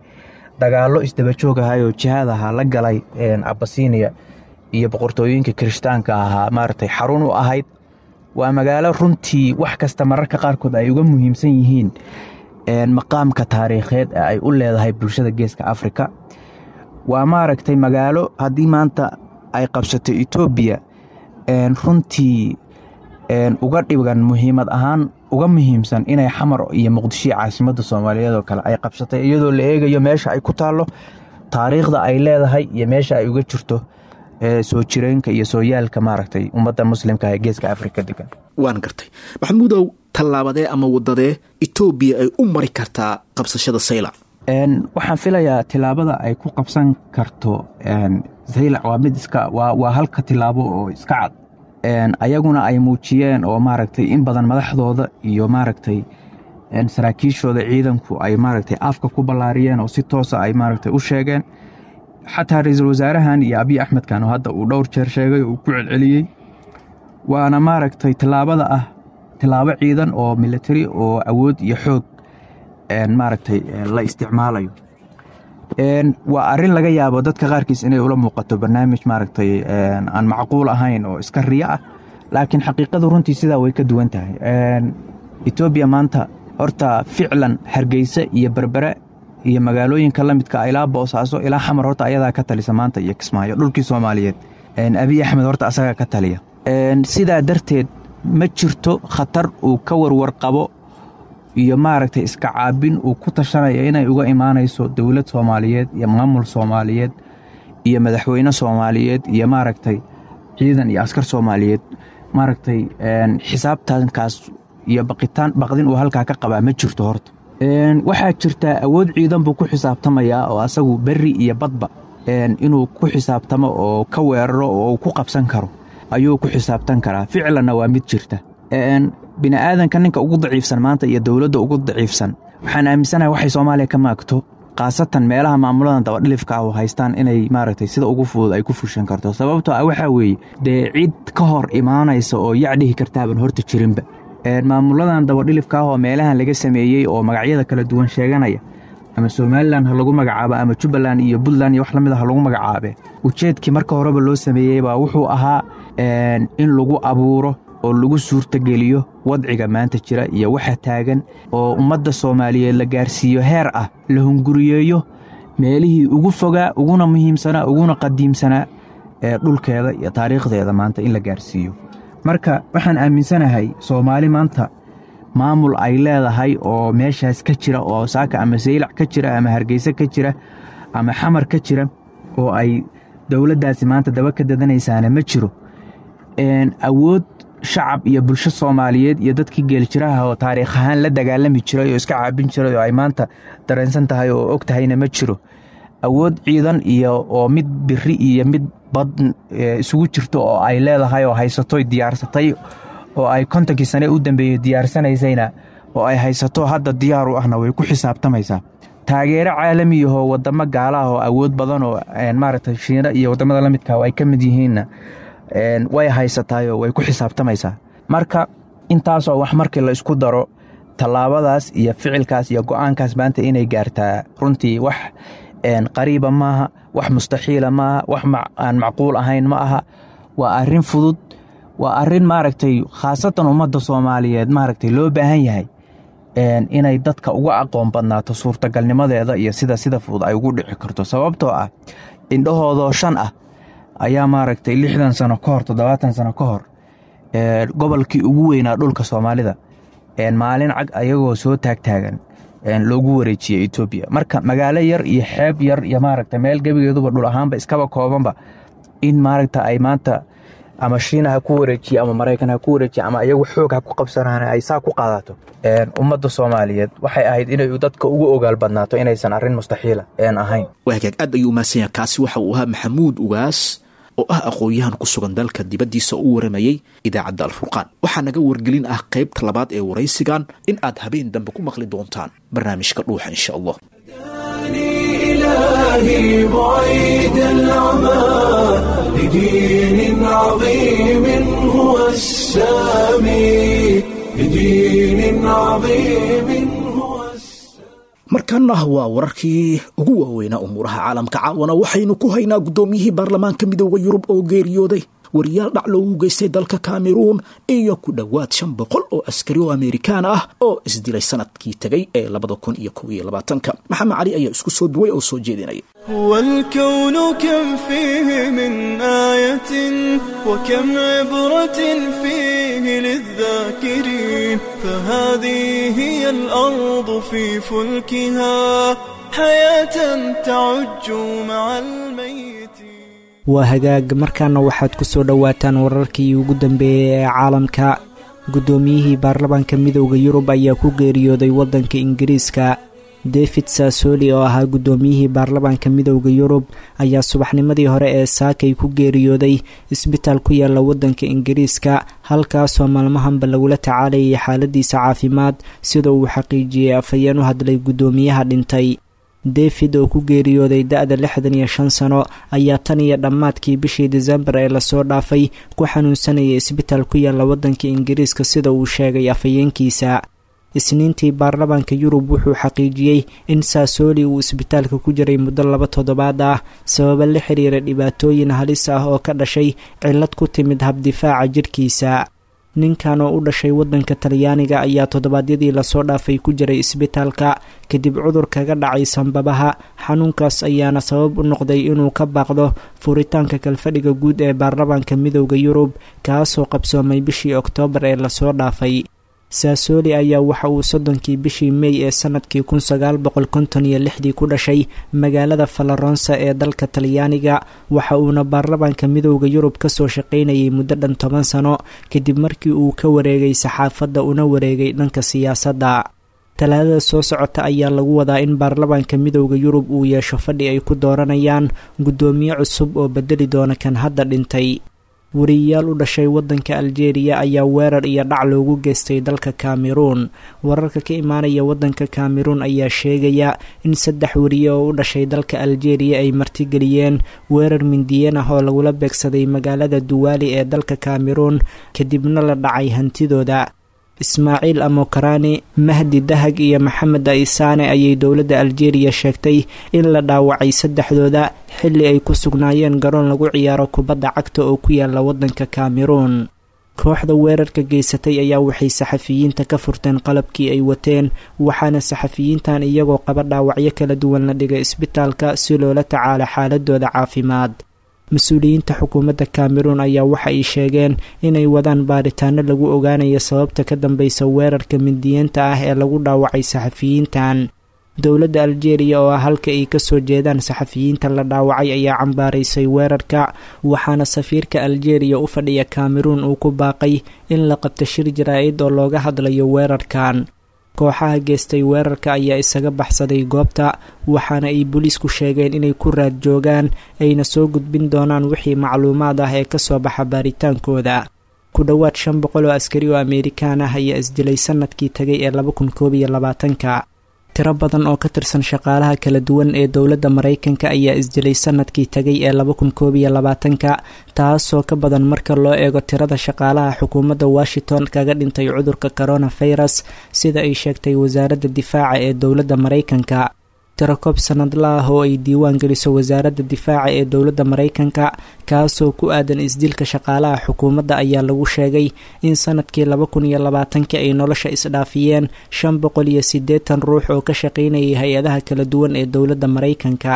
dagaallo isdaba joog ahaa oo jihaad ahaa la galay Abasiiniya iyo boqortooyinka kiristaanka ahaa maaragtay xarun u ahayd. Waa magaalo runtii wax kasta mararka qaarkood ay uga muhiimsan yihiin maqaamka taariikheed ee ay u leedahay bulshada geeska Afrika. Waa maaragtay magaalo haddii maanta ay qabsato Itoobiya Runtii uga dhigan muhiimad ahaan uga muhiimsan inay Xamar iyo Muqdisho caasimadda Soomaaliyeed oo kale ay qabsatay, iyadoo la eegayo meesha ay ku taallo, taariikhda ay leedahay iyo meesha ay uga jirto soo jireenka iyo sooyaalka maaragtay ummadda muslimka ee geeska Afrika degan. Waan gartay Maxamuudow, tallaabadee ama wadadee Etoobiya ay u mari kartaa qabsashada Saylac? Waxaan filayaa tilaabada ay ku qabsan karto Saylac waa mid iska waa waa halka tilaabo oo iska cad, ayaguna ay muujiyeen oo maaragtay in badan madaxdooda iyo maaragtay saraakiishooda ciidanku ay maaragtay afka ku ballaariyeen oo si toosa ay maaragtay u sheegeen. Xataa ra-iisul wasaarahan iyo Abiy Axmedkan oo hadda uu dhowr jeer sheegay oo uu ku celceliyey, waana maaragtay tilaabada ah tilaabo ciidan oo military oo awood iyo xoog maaragtay la isticmaalayo. Waa arrin laga yaabo dadka qaarkiis inay ula muuqato barnaamij maaragtay aan macquul ahayn oo iska riyo ah, laakiin xaqiiqadu runtii sidaa way ka duwan tahay. Etoobiya maanta horta ficlan Hargeysa iyo Berbere iyo magaalooyinka la midka ilaa Boosaaso ilaa Xamar horta ayadaa ka talisa maanta, iyo Kismaayo, dhulkii Soomaaliyeed Abiy Axmed horta asagaa ka taliya. Sidaa darteed ma jirto khatar uu ka warwar qabo iyo maaragtay iska caabin uu ku tashanaya inay uga imaanayso dowlad Soomaaliyeed iyo maamul Soomaaliyeed iyo madaxweyne Soomaaliyeed iyo maaragtay ciidan iyo askar Soomaaliyeed. Maaragtay xisaabtankaas iyo baqitaan baqdin uu halkaa ka qabaa ma jirto. Horta waxaa jirtaa awood ciidan buu ku xisaabtamayaa oo asagu berri iyo badba inuu ku xisaabtamo oo ka weeraro oo uu ku qabsan karo ayuu ku xisaabtan karaa. Ficlanna waa mid jirta. Bini aadanka ninka ugu daciifsan maanta iyo dowladda ugu daciifsan, waxaan aaminsanahay waxay Soomaaliya ka maagto, khaasatan meelaha maamuladan dabadhilifka ah oo haystaan, inay maaragtay sida ugu fudud ay ku fushan karto. Sababtoo ah waxaa weeye dee cid ka hor imaanaysa oo yac dhihi kartaaban horta jirinba. Maamuladan dabadhilifka ah oo meelahan laga sameeyey oo magacyada kala duwan sheeganaya, ama Somalilan ha lagu magacaabo ama Jubbaland iyo Puntland iyo wax lamid a ha lagu magacaabe, ujeedkii marka horeba loo sameeyey baa wuxuu ahaa in lagu abuuro oo lagu suurtageliyo wadciga maanta jira iyo waxa taagan, oo ummadda Soomaaliyeed la gaarsiiyo heer ah la hunguriyeeyo meelihii ugu fogaa, uguna muhiimsanaa, uguna qadiimsanaa ee dhulkeeda iyo taariikhdeeda maanta in la gaarsiiyo. Marka waxaan aaminsanahay Soomaali maanta maamul ay leedahay oo meeshaas ka jira oo saaka ama Saylac ka jira ama Hargeysa ka jira ama Xamar ka jira oo ay dowladdaasi maanta daba ka dadanaysaana ma jiro. Awood shacab iyo bulsho Soomaaliyeed iyo dadkii geeljiraha oo taariikh ahaan la dagaalami jiray oo iska caabin jiray oo ay maanta dareensan tahay oo og tahayna ma jiro. Awood ciidan iyo oo mid biri iyo mid bad isugu jirto oo ay leedahay oo haysatoy diyaarsatay oo ay kontonkii sane u dambeeyey diyaarsanaysayna oo ay haysato hadda diyaar u ahna way ku xisaabtamaysaa. Taageero caalamiyahoo wadamo gaala ah oo awood badan oo maaragtay Shiina iyo wadamada la midka ay ka mid yihiinna way haysataayoo way ku xisaabtamaysaa. Marka intaasoo wax markii la isku daro, tallaabadaas iyo ficilkaas iyo go-aankaas maanta inay gaartaa runtii wax qariiba maaha, wax mustaxiila maaha, wax aan macquul ahayn ma aha. Waa arrin fudud, waa arrin maaragtay khaasatan ummadda Soomaaliyeed maaragtay loo baahan yahay inay dadka uga aqoon badnaato suurtagalnimadeeda iyo sida sida fudud ay ugu dhici karto. Sababtoo ah indhahoodoo shan ah ayaa maaragtay lixdan sano ka hor, toddobaatan sano ka hor, gobolkii ugu weynaa dhulka Soomaalida maalin cag ayagoo soo taagtaagan loogu wareejiyey Etoobiya. Marka magaalo yar iyo xeeb yar iyo maaragta meel gebigeeduba dhul ahaanba iskaba koobanba in maaragta ay maanta ama Shiina ha ku wareejiye ama Maraykan ha ku wareejiye ama iyagu xoog ha ku qabsanaan ay saa ku qaadato, ummadda Soomaaliyeed waxay ahayd inay dadka ugu ogaal badnaato inaysan arrin mustaxiila ahayn. Waa hagaag, aad ayuu umahadsan yahay. Kaasi waxa uu ahaa Maxamuud Ugaas oo ah aqoon-yahan ku sugan dalka dibaddiisa u waramayey idaacadda Alfurqaan. Waxaa naga wargelin ah qaybta labaad ee waraysigan in aad habeen dambe ku maqli doontaan barnaamijka Dhuuxa insha Allah. إلهي بعيد العمى لدين عظيم هو السامي، لدين عظيم هو Markaana waa wararkii ugu waaweynaa umuuraha caalamka. Caawana waxaynu ku haynaa guddoomiyihii baarlamaanka Midooda Yurub oo geeriyooday. Wariyaal dhac loogu geystay dalka Kameruun iyo ku dhowaad shan boqol oo askari oo Amerikaan ah oo isdilay sanadkii tegay ee labada kun iyo kow iyo labaatanka. Maxamed Cali ayaa isku soo duway oo soo jeedinaya. هو الكون كم فيه من آية وكم عبرة فيه للذاكرين، فهذه هي الأرض في فلكها حياة تعج مع الميت. Waa hagaag, markaana waxaad ku soo dhowaataan wararkii ugu dambeeyey ee caalamka. Guddoomiyihii baarlamaanka Midowda Yurub ayaa ku geeriyooday waddanka Ingiriiska. David Saasoli oo ahaa guddoomiyihii baarlamaanka Midowda Yurub ayaa subaxnimadii hore ee saakay ku geeriyooday isbitaal ku yaala waddanka Ingiriiska, halkaasoo maalmahanba lagula tacaalayay xaaladiisa caafimaad, sida uu xaqiijiyey afhayeen u hadlay guddoomiyaha dhintay. David oo ku geeriyooday da-da lixdan iyo shan sano ayaa tan iyo dhammaadkii bishii Disembar ee lasoo dhaafay ku xanuunsanayay isbitaal ku yaala waddanka Ingiriiska, sida uu sheegay afhayeenkiisa. Isniintii baarlamaanka Yurub wuxuu xaqiijiyey in Saasoli uu isbitaalka ku jiray muddo laba toddobaad ah sababo la xiriira dhibaatooyin halis ah oo ka dhashay cillad ku timid habdifaaca jirkiisa. Ninkan oo u dhashay waddanka Talyaaniga ayaa toddobaadyadii lasoo dhaafay ku jiray isbitaalka kadib cudur kaga dhacay sanbabaha. Xanuunkaas ayaana sabab u noqday inuu ka baaqdo furitaanka kalfadhiga guud ee baarlamaanka Midowda Yurub, kaasoo qabsoomay bishii Oktoobar ee lasoo dhaafay. Saasoli ayaa waxa uu soddonkii bishii Mey ee sanadkii kun sagaal boqol konton iyo lixdii ku dhashay magaalada Falaronsa ee dalka Talyaaniga, waxa uuna baarlamaanka Midowda Yurub kasoo shaqaynayay muddo dhan toban sano kadib markii uu ka wareegay saxaafadda una wareegay dhanka siyaasadda. Talaadada soo socota ayaa lagu wadaa in baarlamaanka Midowda Yurub uu yeesho fadhi ay ku dooranayaan guddoomiye cusub oo bedeli doona kan hadda dhintay. Wariyayaal u dhashay waddanka Aljeeriya ayaa weerar iyo dhac loogu geystay dalka Kameruun. Wararka ka imaanaya waddanka Kameruun ayaa sheegaya in saddex wariye oo u dhashay dalka Aljeeriya ay martigeliyeen weerar mindiyeen ah oo lagula beegsaday magaalada Duwaali ee dalka Kameruun, kadibna la dhacay hantidooda. Ismaaciil Amokarani, Mahdi Dahag iyo Maxamed Aisaane ayay dowladda Aljeeriya sheegtay in la dhaawacay saddexdooda xilli ay ku sugnaayeen garoon lagu ciyaaro kubadda cagta oo ku yaala waddanka Kameruun. Kooxda weerarka geysatay ayaa waxay saxafiyiinta ka furteen qalabkii ay wateen, waxaana saxafiyiintan iyagoo qaba dhaawacyo kala duwan la dhigay isbitaalka si loola tacaalo xaaladooda caafimaad. Mas-uuliyiinta xukuumadda Kameruun ayaa waxa ay sheegeen inay wadaan baaritaano lagu ogaanayo sababta ka dambeysa weerarka mindiyeenta ah ee lagu dhaawacay saxafiyiintan. Dowladda Aljeeriya oo ah halka ay kasoo jeedaan saxafiyiinta la dhaawacay ayaa cambaaraysay weerarka, waxaana safiirka Aljeeriya u fadhiya Kameruun uu ku baaqay in la qabto shir jaraa-id oo looga hadlayo weerarkan. Kooxaha geystay weerarka ayaa isaga baxsaday goobta, waxaana ay booliisku sheegeen inay ku raad joogaan ayna soo gudbin doonaan wixii macluumaad ah ee kasoo baxa baaritaankooda. Ku dhowaad shan boqol oo askari oo Amerikaan ah ayaa isdilay sanadkii tagay ee laba kun koob iyo labaatanka. Tiro badan oo ka tirsan shaqaalaha kala duwan ee dowladda Maraykanka ayaa isdilay sanadkii tagay ee laba kun koob iyo labaatanka, taasoo ka badan marka loo eego tirada shaqaalaha xukuumadda Washington kaga dhintay cudurka coronavirus, sida ay sheegtay wasaaradda difaaca ee dowladda Maraykanka. Tiro koob sanadla ah oo ay diiwaan geliso wasaaradda difaaca ee dowladda Maraykanka, kaasoo ku aadan isdilka shaqaalaha xukuumadda, ayaa lagu sheegay in sanadkii laba kun iyo labaatanka ay nolosha isdhaafiyeen shan boqol iyo siddeetan ruux oo ka shaqaynayay hay-adaha kala duwan ee dowladda Maraykanka.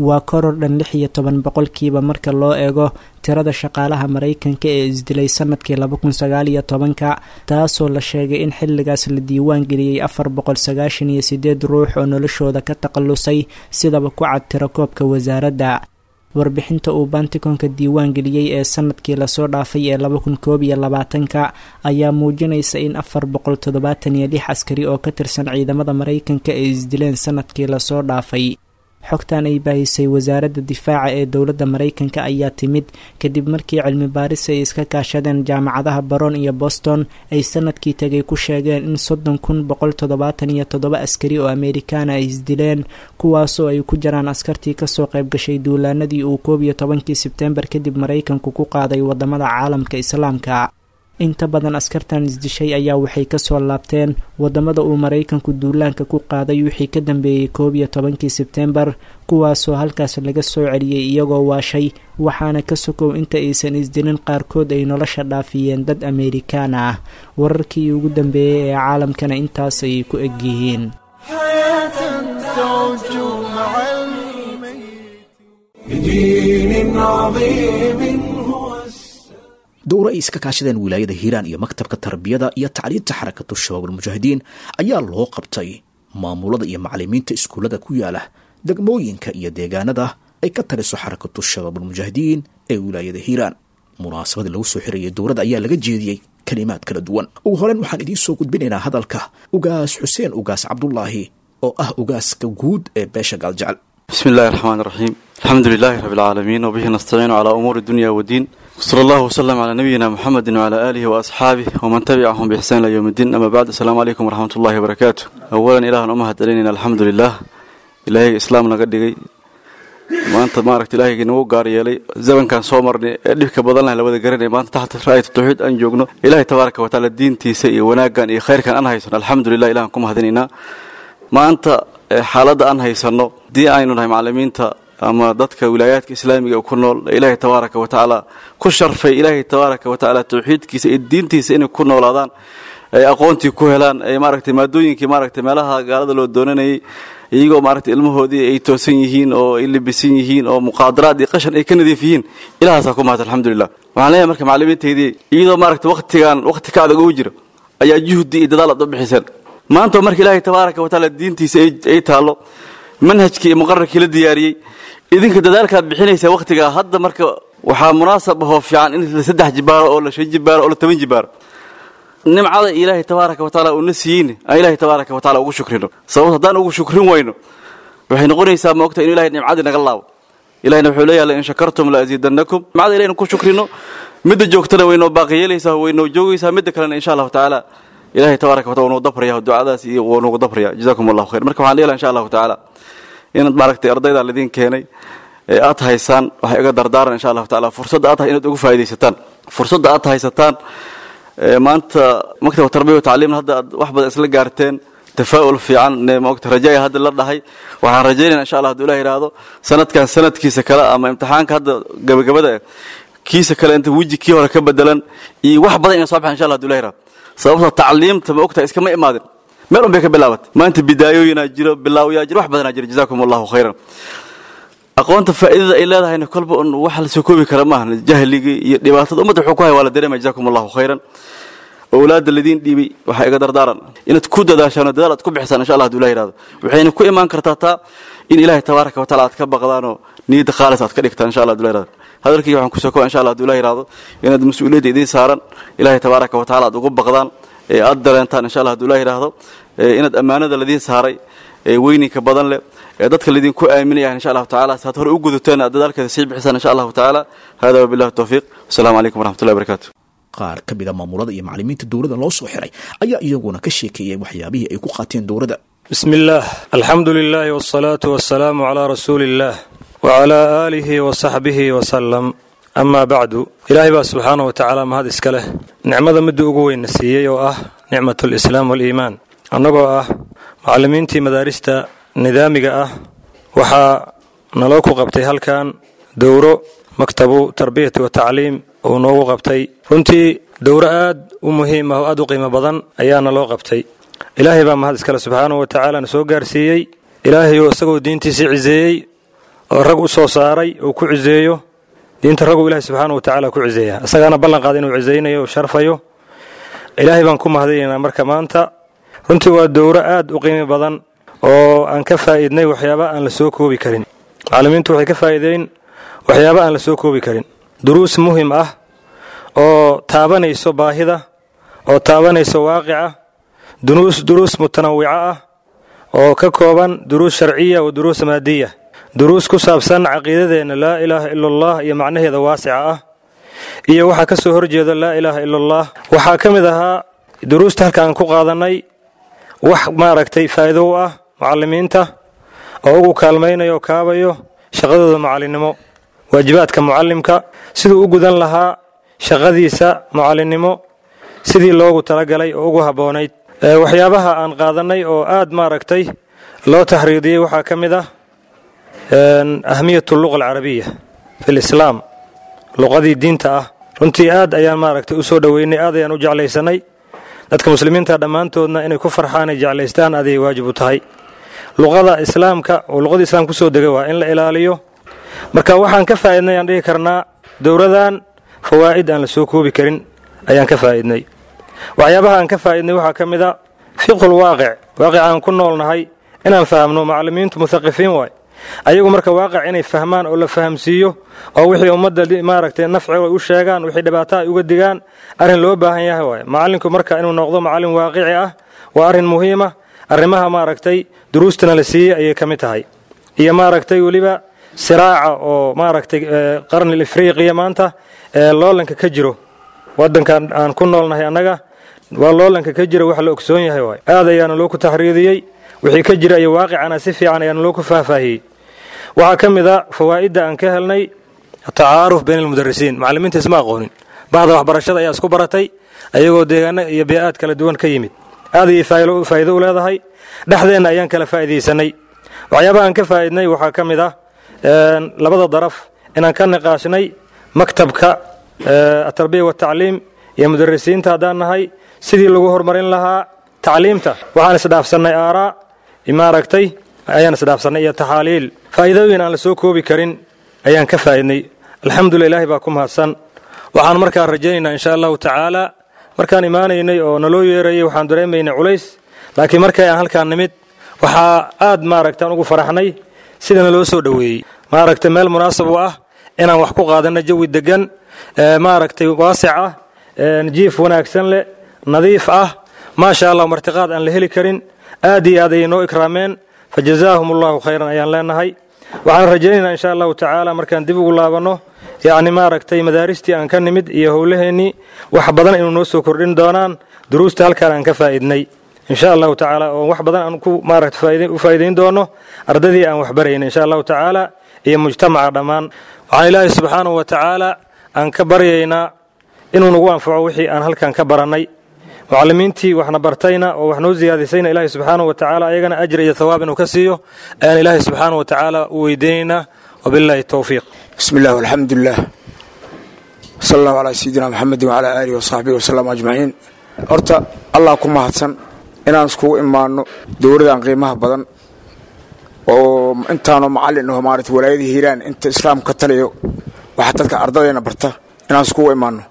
Waa koror dhan lix iyo toban boqolkiiba marka loo eego tirada shaqaalaha Maraykanka ee isdilay sanadkii laba kun sagaal iyo tobanka, taasoo la sheegay in xilligaas la diiwaan geliyey afar boqol sagaashan iyo sideed ruux oo noloshooda ka takhalusay, sidaba ku cad tirakoobka wasaaradda. Warbixinta uu Bantikonka diiwaan geliyey ee sanadkii lasoo dhaafay ee laba kun koob iyo labaatanka ayaa muujinaysa in afar boqol toddobaatan iyo lix askari oo ka tirsan ciidamada Maraykanka ay isdileen sanadkii lasoo dhaafay. Xogtan ay baahisay wasaaradda difaaca ee dowladda Maraykanka ayaa timid kadib markii cilmi baaris ay iska kaashadeen jaamacadaha Baron iyo Boston ay sanadkii tegay ku sheegeen in soddon kun boqol toddobaatan iyo toddoba askari oo Amerikaana ay isdileen, kuwaasoo ay ku jiraan askartii kasoo qayb gashay duulaanadii uu koob iyo tobankii Sebtembar kadib Maraykanku ku qaaday wadamada caalamka Islaamka. Inta badan askartan isdishay ayaa waxay kasoo laabteen wadamada uu Maraykanku duulaanka ku qaaday wixii ka dambeeyey koob iyo tobankii Sebteembar, kuwaasoo halkaas laga soo celiyey iyagoo waashay, waxaana ka sokow inta aysan isdilin qaarkood ay nolosha dhaafiyeen dad Ameerikaan ah. Wararkii ugu dambeeyey ee caalamkana intaas ayay ku egyihiin. بدين عظيم هو Dowro ay iska kaashadeen wilaayada Hiiraan iyo maktabka tarbiyada iyo tacliinta Xarakatu Shabaab Almujaahidiin ayaa loo qabtay maamulada iyo macalimiinta iskuullada ku yaala degmooyinka iyo deegaanada ay ka taliso Xarakatu Shabaab Almujaahidiin ee wilaayada Hiiraan. Munaasabada lagu soo xirayay dowrada ayaa laga jeediyey kalimaad kala duwan. Ugu horeyn waxaan idiin soo gudbinaynaa hadalka Ugaas Xuseen Ugaas Cabdulaahi oo ah ugaaska guud ee beesha Gaaljecel. بسم الله الرحمن الرحيم، الحمد لله رب العالمين، وبه نستعين على أمور الدنيا والدين، صلى الله وسلم على نبينا محمد وعلى آله وأصحابه ومن تبعهم بإحسان إلى يوم الدين، أما بعد، السلام عليكم ورحمة الله وبركاته. أولا إله أمهد علينا، الحمد لله، إلهي إسلام نقدقي maanta maaragta ilaahay nagu gaar yeelay zamankan soo marnay ee dhibka badan leh labada garanay, maanta taxta raayat tawxiid aan joogno, ilaahay tabaaraka wa tacaala diintiisa iyo wanaaggan iyo khayrkan aan haysano, alxamdulilah, ilahan ku mahadinaynaa. Maanta xaaladda aan haysano haddii aynu nahay macallimiinta ama dadka wilaayaadka islaamiga ku nool, ilaahay tabaaraka wa tacaala ku sharfay, ilaahay tabaaraka wa tacaala tawxiidkiisa iyo diintiisa inay ku noolaadaan, ay aqoontii ku helaan, ay maaragtay maadooyinkii maaragtay meelaha gaalada loo doonanayay, iyagoo maaragtay ilmahoodii ay toosan yihiin oo ay libisan yihiin oo muqaadaraad iyo qashan ay ka nadiif yihiin, ilahaasaa ku mahad, alxamdulilah. Waxaan leeyahay marka macallimiintaydii, iyadoo maaragtay waqtigan waqti ka adag ugu jiro ayaa juhdi iyo dadaal aad u bixiseen. Maanta marka ilaahay tabaaraka wa tacaala diintiisa ay taallo, manhajkii iyo muqararkii la diyaariyey, idinka dadaalkaad bixinaysaa waqtigaa hadda, marka waxaa munaasab ahoo fiican in la saddex jibaaro oo la shan jibaaro oo la toban jibaaro nimcada ilaahay tabaaraka wa tacaala uuna siiyeyne aan ilaahay tabaaraka wa tacaala ugu shukrino. Sababto haddaan ugu shukrin weyno, waxay noqonaysaa maogta inu ilahay nimcadii naga laabo. Ilahina wuxuu leeyahay: la in shakartum la aziidannakum. Nimcada ilahaynu ku shukrino, midda joogtana waynoo baaqi yeelaysaa, waynoo joogaysaa, midda kalena insha allahu tacaala ilahay tabaaraka wa taala wuu dabraya ducadaas iyo wuu nagu dabraya. Jazakum allahu khayr. Marka waxaan leeyahay insha allahu tacaala inaad maaragtay ardayda lidin keenay ee aad haysaan, waxay iga dardaaran insha allahu tacaala fursadda aad inaad ugu faa'iidaysataan fursadda aad haysataan maanta. Maktab tarbiya wa tacliim hadda aad wax badan isla gaarteen, tafaa'ul fiican maogta rajaaya hadda la dhahay. Waxaan rajaynayna insha allah hadduu ilah yidhaahdo sanadkan sanadkiisa kale ama imtixaanka hadda gabagabada kiisa kale inta weji kii hore ka bedelan iyo wax badan inay soo baxan insha allah hadduu ilah yidhahdo. Sababta tacliimta ma ogtahay iskama imaadin, meel un bay ka bilaabatay. Maanta bidaayooyinaa jiro, bilaawyaa jiro, wax badanaa jiro. Jazaakum allahu khayran. Aqoonta faa'iidada ay leedahayna kolba un wax la soo koobi kara maaha. Jahligii iyo dhibaatada ummadda wuxuu ku haya waa la dareemaya. Jazaakum allahu khayran. Owlaadda ladiin dhiibay waxaa iga dardaaran inaad ku dadaashaan oo dadaal aad ku bixisaan insha allah hadduu ilah yidhahdo. Waxayna ku imaan kartaa taa in ilaahay tabaaraka wa taala aad ka baqdaanoo niyadda khaalis aad ka dhigtaan insha allah hadduu ilah yidhahdo. Hadalkayga waxaan kusoo koobaa insha allah hadduu ilah yidhahdo inaad mas-uuliyadda idiin saaran ilaahay tabaaraka wa taala aad ugu baqdaan ee aad dareentaan insha allah hadduu ilah yidhaahdo, inaad ammaanada ladiin saaray ee weyninka badan leh ee dadka lidinku aaminayaan insha allahu tacaala saad hore u gudateen aad dadaalkeeda sii bixisaan insha allahu tacaala. Hada wabillahi tawfiiq, wasalaamu calaykum waraxmatullahi wabarakatu. Qaar ka mid a maamulada iyo macallimiinta dowladda loo soo xiray ayaa iyaguna ka sheekeeyay waxyaabihii ay ku qaateen dowladda. بسم الله، الحمد لله، والصلاة والسلام على رسول الله وعلى آله وصحبه وسلم، أما بعد. إلهي baa subxaanaه watacaala mahad iska leh, nicmada midda ugu weyn na siiyey oo ah nicmat alislaam waaliimaan. Annagoo ah macallimiintii madaarista nidaamiga ah, waxaa naloo ku qabtay halkan dowro maktabu tarbiyati wa tacliim uu noogu qabtay. Runtii dowro aad u muhiim ah oo aad u qiimo badan ayaa naloo qabtay. Ilaahay baa mahad iskale subxaanahu wa tacaala na soo gaarsiiyey. Ilaahay oo isagoo diintiisii ciseeyey oo rag u soo saaray oo ku ciseeyo diinta, raguu ilahay subxaana wa tacaala ku ciseeya, isagaana ballan qaada inuu cisaynayo oo sharfayo. Ilaahay baan ku mahadinaynaa. Marka maanta runtii waa dowro aad u qiimi badan oo aan ka faa'iidnay waxyaaba aan la soo koobi karin. Macallimiintu waxay ka faa'iideyn waxyaaba aan la soo koobi karin, duruus muhim ah oo taabanayso baahida oo taabanayso waaqica, duruus duruus mutanawica ah oo ka kooban duruus sharciya wa duruus maadiya, duruus ku saabsan caqiidadeenna laa ilaaha ila allah iyo macnaheeda waasica ah iyo waxaa ka soo horjeeda laa ilaaha ila allah. Waxaa ka mid ahaa duruusta halka aan ku qaadannay wax maaragtay faa'iido u ah mucallimiinta oo ugu kaalmaynayo oo kaabayo shaqadooda mucallinnimo, waajibaadka mucallimka siduu u gudan lahaa shaqadiisa mucallinnimo. Sidii loogu talagalay oo ugu habboonayd. Waxyaabaha aan qaadanay oo aad maaragtay loo taxriidiyey waxaa ka mid ah ahmiyat luqa alcarabiya fi lislaam, luqadii diinta ah. Runtii aad ayaan maaragtay u soo dhoweynay, aad ayaan u jeclaysanay. Dadka muslimiinta dhammaantoodna inay ku farxaan ay jeclaystaan aday waajib u tahay. Luqada islaamka oo luqadii islaamka kusoo degay waa in la ilaaliyo. Marka waxaan ka faa'iidnay aan dhihi karnaa dowladan fawaa'id aan la soo koobi karin ayaan ka faa'iidnay. Waxyaabaha aan ka faa'iidnay waxaa ka mid a fiqhul waaqic, waaqic aan ku noolnahay inaan fahamno. Macallimiintu muthaqifiin waay ayagu, marka waaqic inay fahmaan oo la fahamsiiyo oo wixii ummadda maaragtay nafci ay u sheegaan, wixii dhibaato ay uga digaan, arrin loo baahan yahay waay. Macallinku marka inuu noqdo macallin waaqici ah waa arrin muhiima. Arrimaha maaragtay duruustana la siiyey ayay ka mid tahay, iyo maaragtay weliba siraaca oo maaragtay qarnil ifriiqiya maanta loolanka ka jiro waddankan aan ku noolnahay annaga, waa loolanka ka jira wax la ogsoon yahay waay. Aad ayaana loo ku taxriidiyey wixii ka jira iyo waaqicana si fiican ayaana loo ku faahfaahiyey. Waxaa ka mid a fawaa'idda aan ka helnay tacaaruf bayna almudarisiin. Macallimiinta isma aqoonin, bahda waxbarashada ayaa isku baratay ayagoo deegaano iyo bee-aad kala duwan ka yimid. Aad ayay faa'iido u leedahay, dhexdeenna ayaan kala faa'iidaysanay. Waxyaabaha aan ka faa'iidnay waxaa ka mid ah labada daraf inaan ka niqaashnay maktabka atarbiya watacliim iyo mudarisiinta haddaan nahay sidii lagu horumarin lahaa tacliimta. Waxaan isdhaafsannay aaraa maaragtay ayaan isdhaafsannay iyo taxaaliil. Faa'iidooyin aan la soo koobi karin ayaan ka faa'iidnay. Alxamdulillah, ilaahay baa ku mahadsan. Waxaan markaa rajaynaynaa insha allahu tacaala, markaan imaanaynay oo naloo yeerayay waxaan dareemaynay culays, laakiin markay aan halkaan nimid waxaa aad maaragtaan ugu faraxnay sidana loo soo dhoweeyey, maaragtay meel munaasab u ah inaan wax ku qaadanno, jawi degan, maaragtay waasic ah, jiif wanaagsan leh, nadiif ah, maasha allah, martiqaad aan la heli karin. Aad iyo aad ayay noo ikraameen, fa jazaahum allahu khayran ayaan leenahay. Waxaan rajaynaynaa insha allahu tacaala markaan dib ugu laabanno yacni maaragtay madaaristii aan ka nimid iyo howlaheennii wax badan inuu noo soo kordhin doonaan duruusta halkaan aan ka faa'iidnay insha allahu tacaala, oo wax badan aan ku maaragtay u faa'iidayn doono ardadii aan waxbarayna insha allahu tacaala iyo mujtamaca dhammaan. Waxaan ilaahay subxaanahu wa tacaala aan ka baryaynaa inuu nagu anfaco wixii aan halkan ka barannay. Mucallimiintii waxna bartayna oo wax noo siyaadisayna ilaahay subxaanahu wa tacaala ayagana ajri iyo thawaab inuu ka siiyo ayaan ilaahay subxaanahu wa tacaala u weydiinaynaa. Wabillahi towfiiq. Bismi illah, alxamdulilah, sala allahu calaa sayidina maxamedin wacalaa aalihi wasaxbihi wasalam ajmaciin. Horta allah ku mahadsan inaan iskugu imaanno dowladan qiimaha badan oo intaanoo macallin aho maarata walaayada Hiiraan inta islaamka ka taliyo waxaa dadka ardadayna barta inaan iskugu imaanno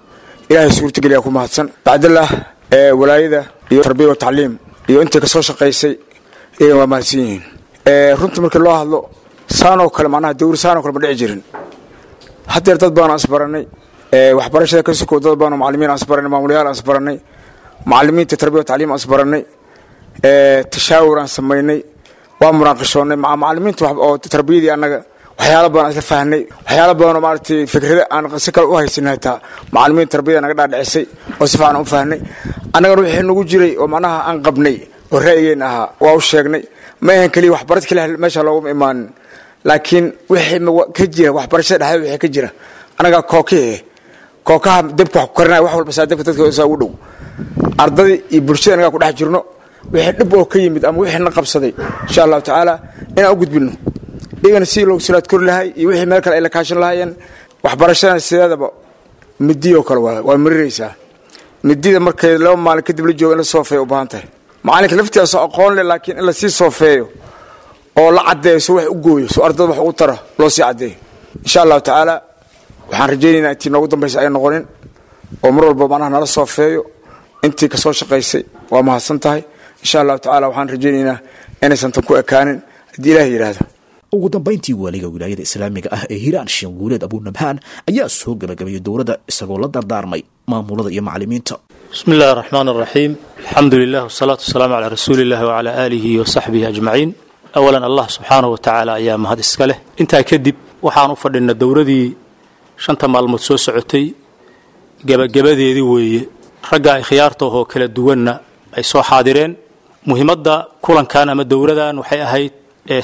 ilaahay suurtageliyaa ku mahadsan. Bacdallah ee walaayada iyo tarbiya wa tacliim iyo intii ka soo shaqaysay iyagana waa mahadsan yihiin. Runtii markii loo hadlo saanoo kale macnaha dowr saanoo kale ma dhici jirin. Haddeer dad badan aan isbaranay waxbarashada ka sokow, dad badan oo macallimiin aan isbaranay, maamulayaal aan isbaranay, macallimiinta tarbiya wa tacliim aan isbaranay, tashaawur aan samaynay, waa munaaqishoonnay maca macallimiinta oo tarbiyadii annaga waxyaalo badan aan isla fahnay, waxyaalo badan oo maaragtay fikrada aan si kale u haysanay hataa macallimiinta tarbiyada naga dhaadhicisay oo si fiican u fahnay. Annagana wixii nagu jiray oo macnaha aan qabnay oo ra'yigeenna ahaa waa u sheegnay. Ma ahan keliya waxbarad keliya meesha looguma imaanin, laakiin wixii ka jira waxbarashada dhexdeeda wixii ka jira annagaa kookihe kookaha dabka wax ku karinaya wax walba saa dabka dadka saa ugu dhow ardadii iyo bulshada annagaa ku dhex jirno, wixii dhib oo ka yimid ama wixii na qabsaday insha allahu tacaala inaan u gudbinno iyagana sidii loogu salaad kori lahay iyo wixii meel kale ay la kaashan lahaayeen. Waxbarashadana sideedaba midiyoo kale waa waa mariraysaa midida markay laba maalin kadib la joogo in la soofeeyo u baahan tahay. Macalinka laftiisaasoo aqoon leh, laakiin in lasii soofeeyo oo la caddeeyo si wax u gooyo so ardada wax ugu tara loo sii caddeeyo insha allahu tacaala. Waxaan rajaynaynaa intii noogu dambaysa ay noqonin oo mar walba macnaha nala soofeeyo. Intii ka soo shaqaysay waa mahadsan tahay. Insha allahu tacala waxaan rajaynaynaa inaysan tan ku ekaanin haddii ilaah yidhaahdo. Ugu dambayntii waaliga wilaayada islaamiga ah ee Hiiraan, Sheekh Guuleed Abuunabhaan, ayaa soo gabagabeeyey dowladda isagoo la dardaarmay maamulada iyo macallimiinta. Bismi illahi araxmaan araxiim, alxamdu lilah wasalaatu wasalaamu calaa rasuuli illahi wacalaa aalihi wa saxbihi ajmaciin. Awalan allah subxaanahu wa tacaala ayaa mahad iska leh. Intaa kadib waxaan u fadhinaa dowladii shanta maalmood soo socotay gebagabadeedii weeye, ragga ay khiyaarta ahoo kala duwanna ay soo xaadireen. Muhiimadda kulankan ama dowladan waxay ahayd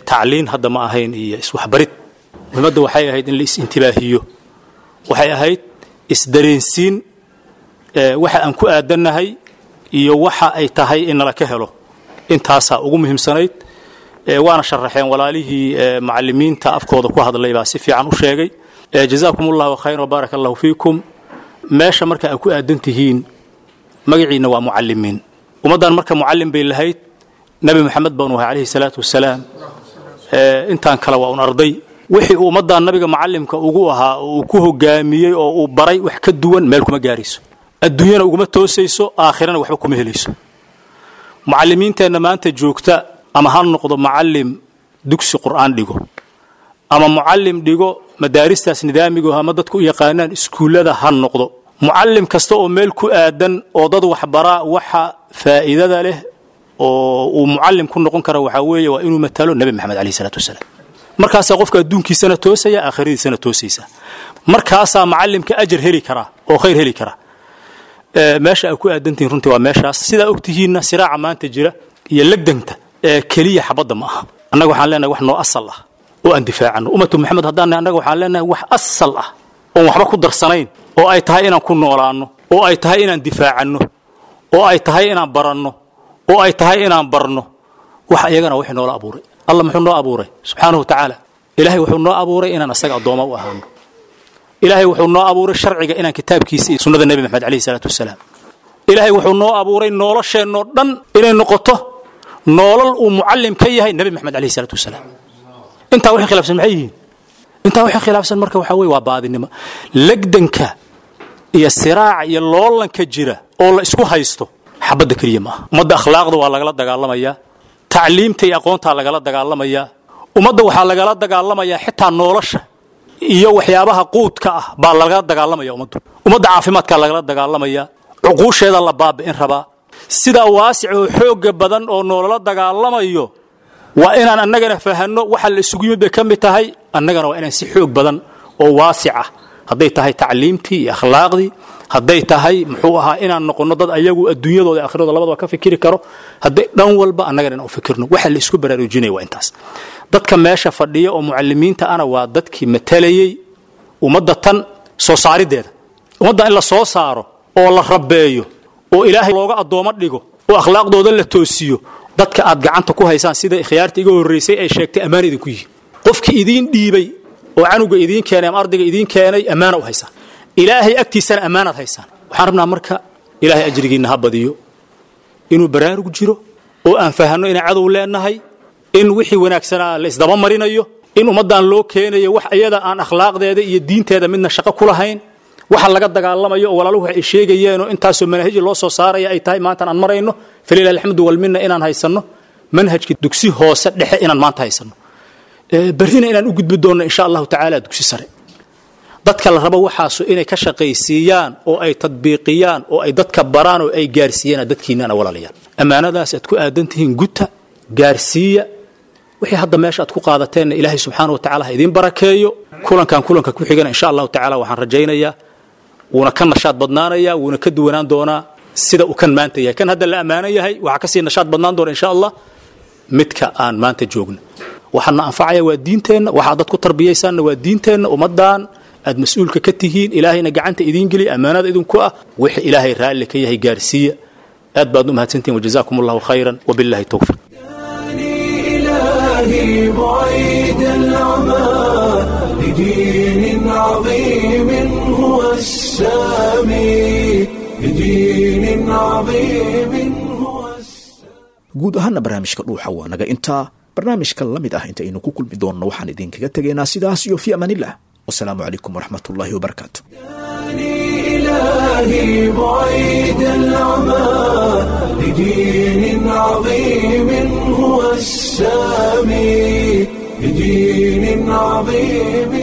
tacliin hadda ma ahayn iyo iswaxbarid. Muhiimadda waxay ahayd in la is-intibaahiyo, waxay ahayd isdareensiin Waxa aan ku aadannahay iyo waxa ay tahay in nala ka helo intaasaa ugu muhiimsanayd. Waana sharaxeen walaalihii macallimiinta afkooda ku hadlay baa si fiican u sheegay. Jazaakum allahu khayran wabaaraka allahu fiikum. Meesha marka aad ku aadan tihiin magaciina waa mucallimiin. Ummaddan marka mucallim bay lahayd, Nabi Maxamed baanu ahay calayhi salaatu wasalaam. Intaan kale waa un arday. Wixii uu ummaddan nabiga macallimka ugu ahaa oo uu ku hogaamiyey oo uu baray wax ka duwan meel kuma gaarayso, adduunyana uguma toosayso, aakhirana waxba kuma helayso. Mucallimiinteenna maanta joogta ama ha noqdo mucallim dugsi qur'aan dhigo ama mucallim dhigo madaaristaas nidaamigo ama dadku u yaqaanaan iskuullada ha noqdo, mucallim kasta oo meel ku aadan oo dad waxbaraa waxa faa'iidada leh oo uu mucallim ku noqon kara waxaa weeye waa inuu matalo Nabi Maxamed calayhi salaatu wasalaam. Markaasaa qofka adduunkiisana toosaya, aakhiradiisana toosaysa. Markaasaa macallimka ajar heli karaa oo khayr heli karaa. Meesha aad ku aadantihiin runtii waa meeshaas. Sidaa ogtihiinna siraaca maanta jira iyo legdanta ee keliya xabadda ma aha. Annaga waxaan leenahay wax noo asal ah oo aan difaacano. Ummatu Maxamed haddaan nahay, annaga waxaan leenahay wax asal ah oon waxba ku darsanayn oo ay tahay inaan ku noolaanno, oo ay tahay inaan difaacanno, oo ay tahay inaan baranno, oo ay tahay inaan barno. Wax iyagana wixii noola abuuray. Allah muxuu noo abuuray subxaanahu wa tacaala? Ilaahay wuxuu noo abuuray inaan asaga addooma u ahaano. Ilaahay wuxuu noo abuuray sharciga inaan kitaabkiisa iyo sunnada Nebi Maxamed calayhi salaatu wasalaam. Ilaahay wuxuu noo abuuray nolosheennoo dhan inay noqoto nolol uu mucallim ka yahay Nebi Maxamed calayhi salaatu wasalaam. Intaa wixii khilaafsan maxay yihiin? Intaa wixii khilaafsan marka waxaa weeye waa baadinimo. Legdanka iyo siraaca iyo loolanka jira oo la isku haysto xabadda keliya ma aha. Ummadda akhlaaqda waa lagala dagaalamayaa, tacliimta iyo aqoontaa lagala dagaalamayaa, ummadda waxaa lagala dagaalamayaa xitaa nolosha iyo waxyaabaha quudka ah baa lagala dagaalamaya ummaddu. Ummadda caafimaadkaa lagala dagaalamayaa, cuquusheeda la baabi'in rabaa. Sidaa waasic oo xoogga badan oo noolala dagaalamayo waa inaan annagana fahanno waxa la isugu yimid bay ka mid tahay. Annagana waa inaan si xoog badan oo waasic ah, hadday tahay tacliimtii iyo akhlaaqdii, hadday tahay muxuu ahaa inaan noqonno dad ayagu adduunyadooda aakhiradooda labadaba ka fikiri karo, hadday dhan walba annagana inaan u fikirno. Waxa la isku baraarujinaya waa intaas. Dadka meesha fadhiya oo mucallimiinta ana waa dadkii matalayey ummadda tan soo saariddeeda. Ummadda in la soo saaro oo la rabeeyo oo Ilaahay looga addoomo dhigo oo akhlaaqdooda la toosiyo, dadka aad gacanta ku haysaan sida ikhyaarta iga horreysay ay sheegtay ammaan idinku yihiin. Qofkii idiin dhiibay oo canuga idiin keenay ama ardayga idiin keenay ammaana u haysaan, Ilaahay agtiisana ammaanaad haysaan. Waxaan rabnaa marka Ilaahay ajrigiinna ha badiyo inuu baraarug jiro oo aan fahanno inaan cadow leenahay, in wixii wanaagsanaa la isdaba marinayo, in ummaddan loo keenayo wax iyada aan akhlaaqdeeda iyo diinteeda midna shaqo ku lahayn. Waxa laga dagaalamayo oo walaaluhu waxay sheegayeen oo intaasoo manahiji loo soo saaraya ay tahay maantaan aan marayno, falilahi alxamdu walminna, inaan haysanno manhajka dugsi hoose dhexe inaan maanta haysanno, berrina inaan u gudbi doonno insha allahu tacaala dugsi sare. Dadka la rabo waxaasu inay ka shaqaysiiyaan oo ay tadbiiqiyaan oo ay dadka baraan oo ay gaarsiiyaan dadkiinana walaalayaal, ammaanadaas aad ku aadan tihiin guta, gaarsiiya. Wixii hadda meesha aad ku qaadateenna Ilaahay subxaana wa tacala ha idiin barakeeyo. Kulankan kulanka ku xigana insha allahu tacaala waxaan rajaynayaa wuuna ka nashaad badnaanayaa, wuuna ka duwanaan doonaa sida uu kan maanta yahay. Kan hadda la ammaanan yahay waxaa kasii nashaad badnaan doona insha allah midka aan maanta joogno. Waxaana anfacaya waa diinteenna, waxaa dad ku tarbiyaysaanna waa diinteenna. Ummaddan aad mas-uulka ka tihiin Ilaahayna gacanta idiin geliya, ammaanada idinku ah, wixii Ilaahay raalli ka yahay gaarsiiya. Aad baad u mahadsantihin, wajazaakum allahu khayran wabillahi towfiiq. إلهي بعيد العمى لدين عظيم هو السامي، لدين عظيم هو. Guud ahaana barnaamijka Dhuuxa waa naga intaa. Barnaamijka la mid ah inta aynu ku kulmi doonno waxaan idinkaga tegaynaa sidaas iyo fi amaanillah, wasalaamu calaykum waraxmat ullaahi wabarakaatu. إلهي بعيد العمى لدين عظيم هو السامي، لدين عظيم.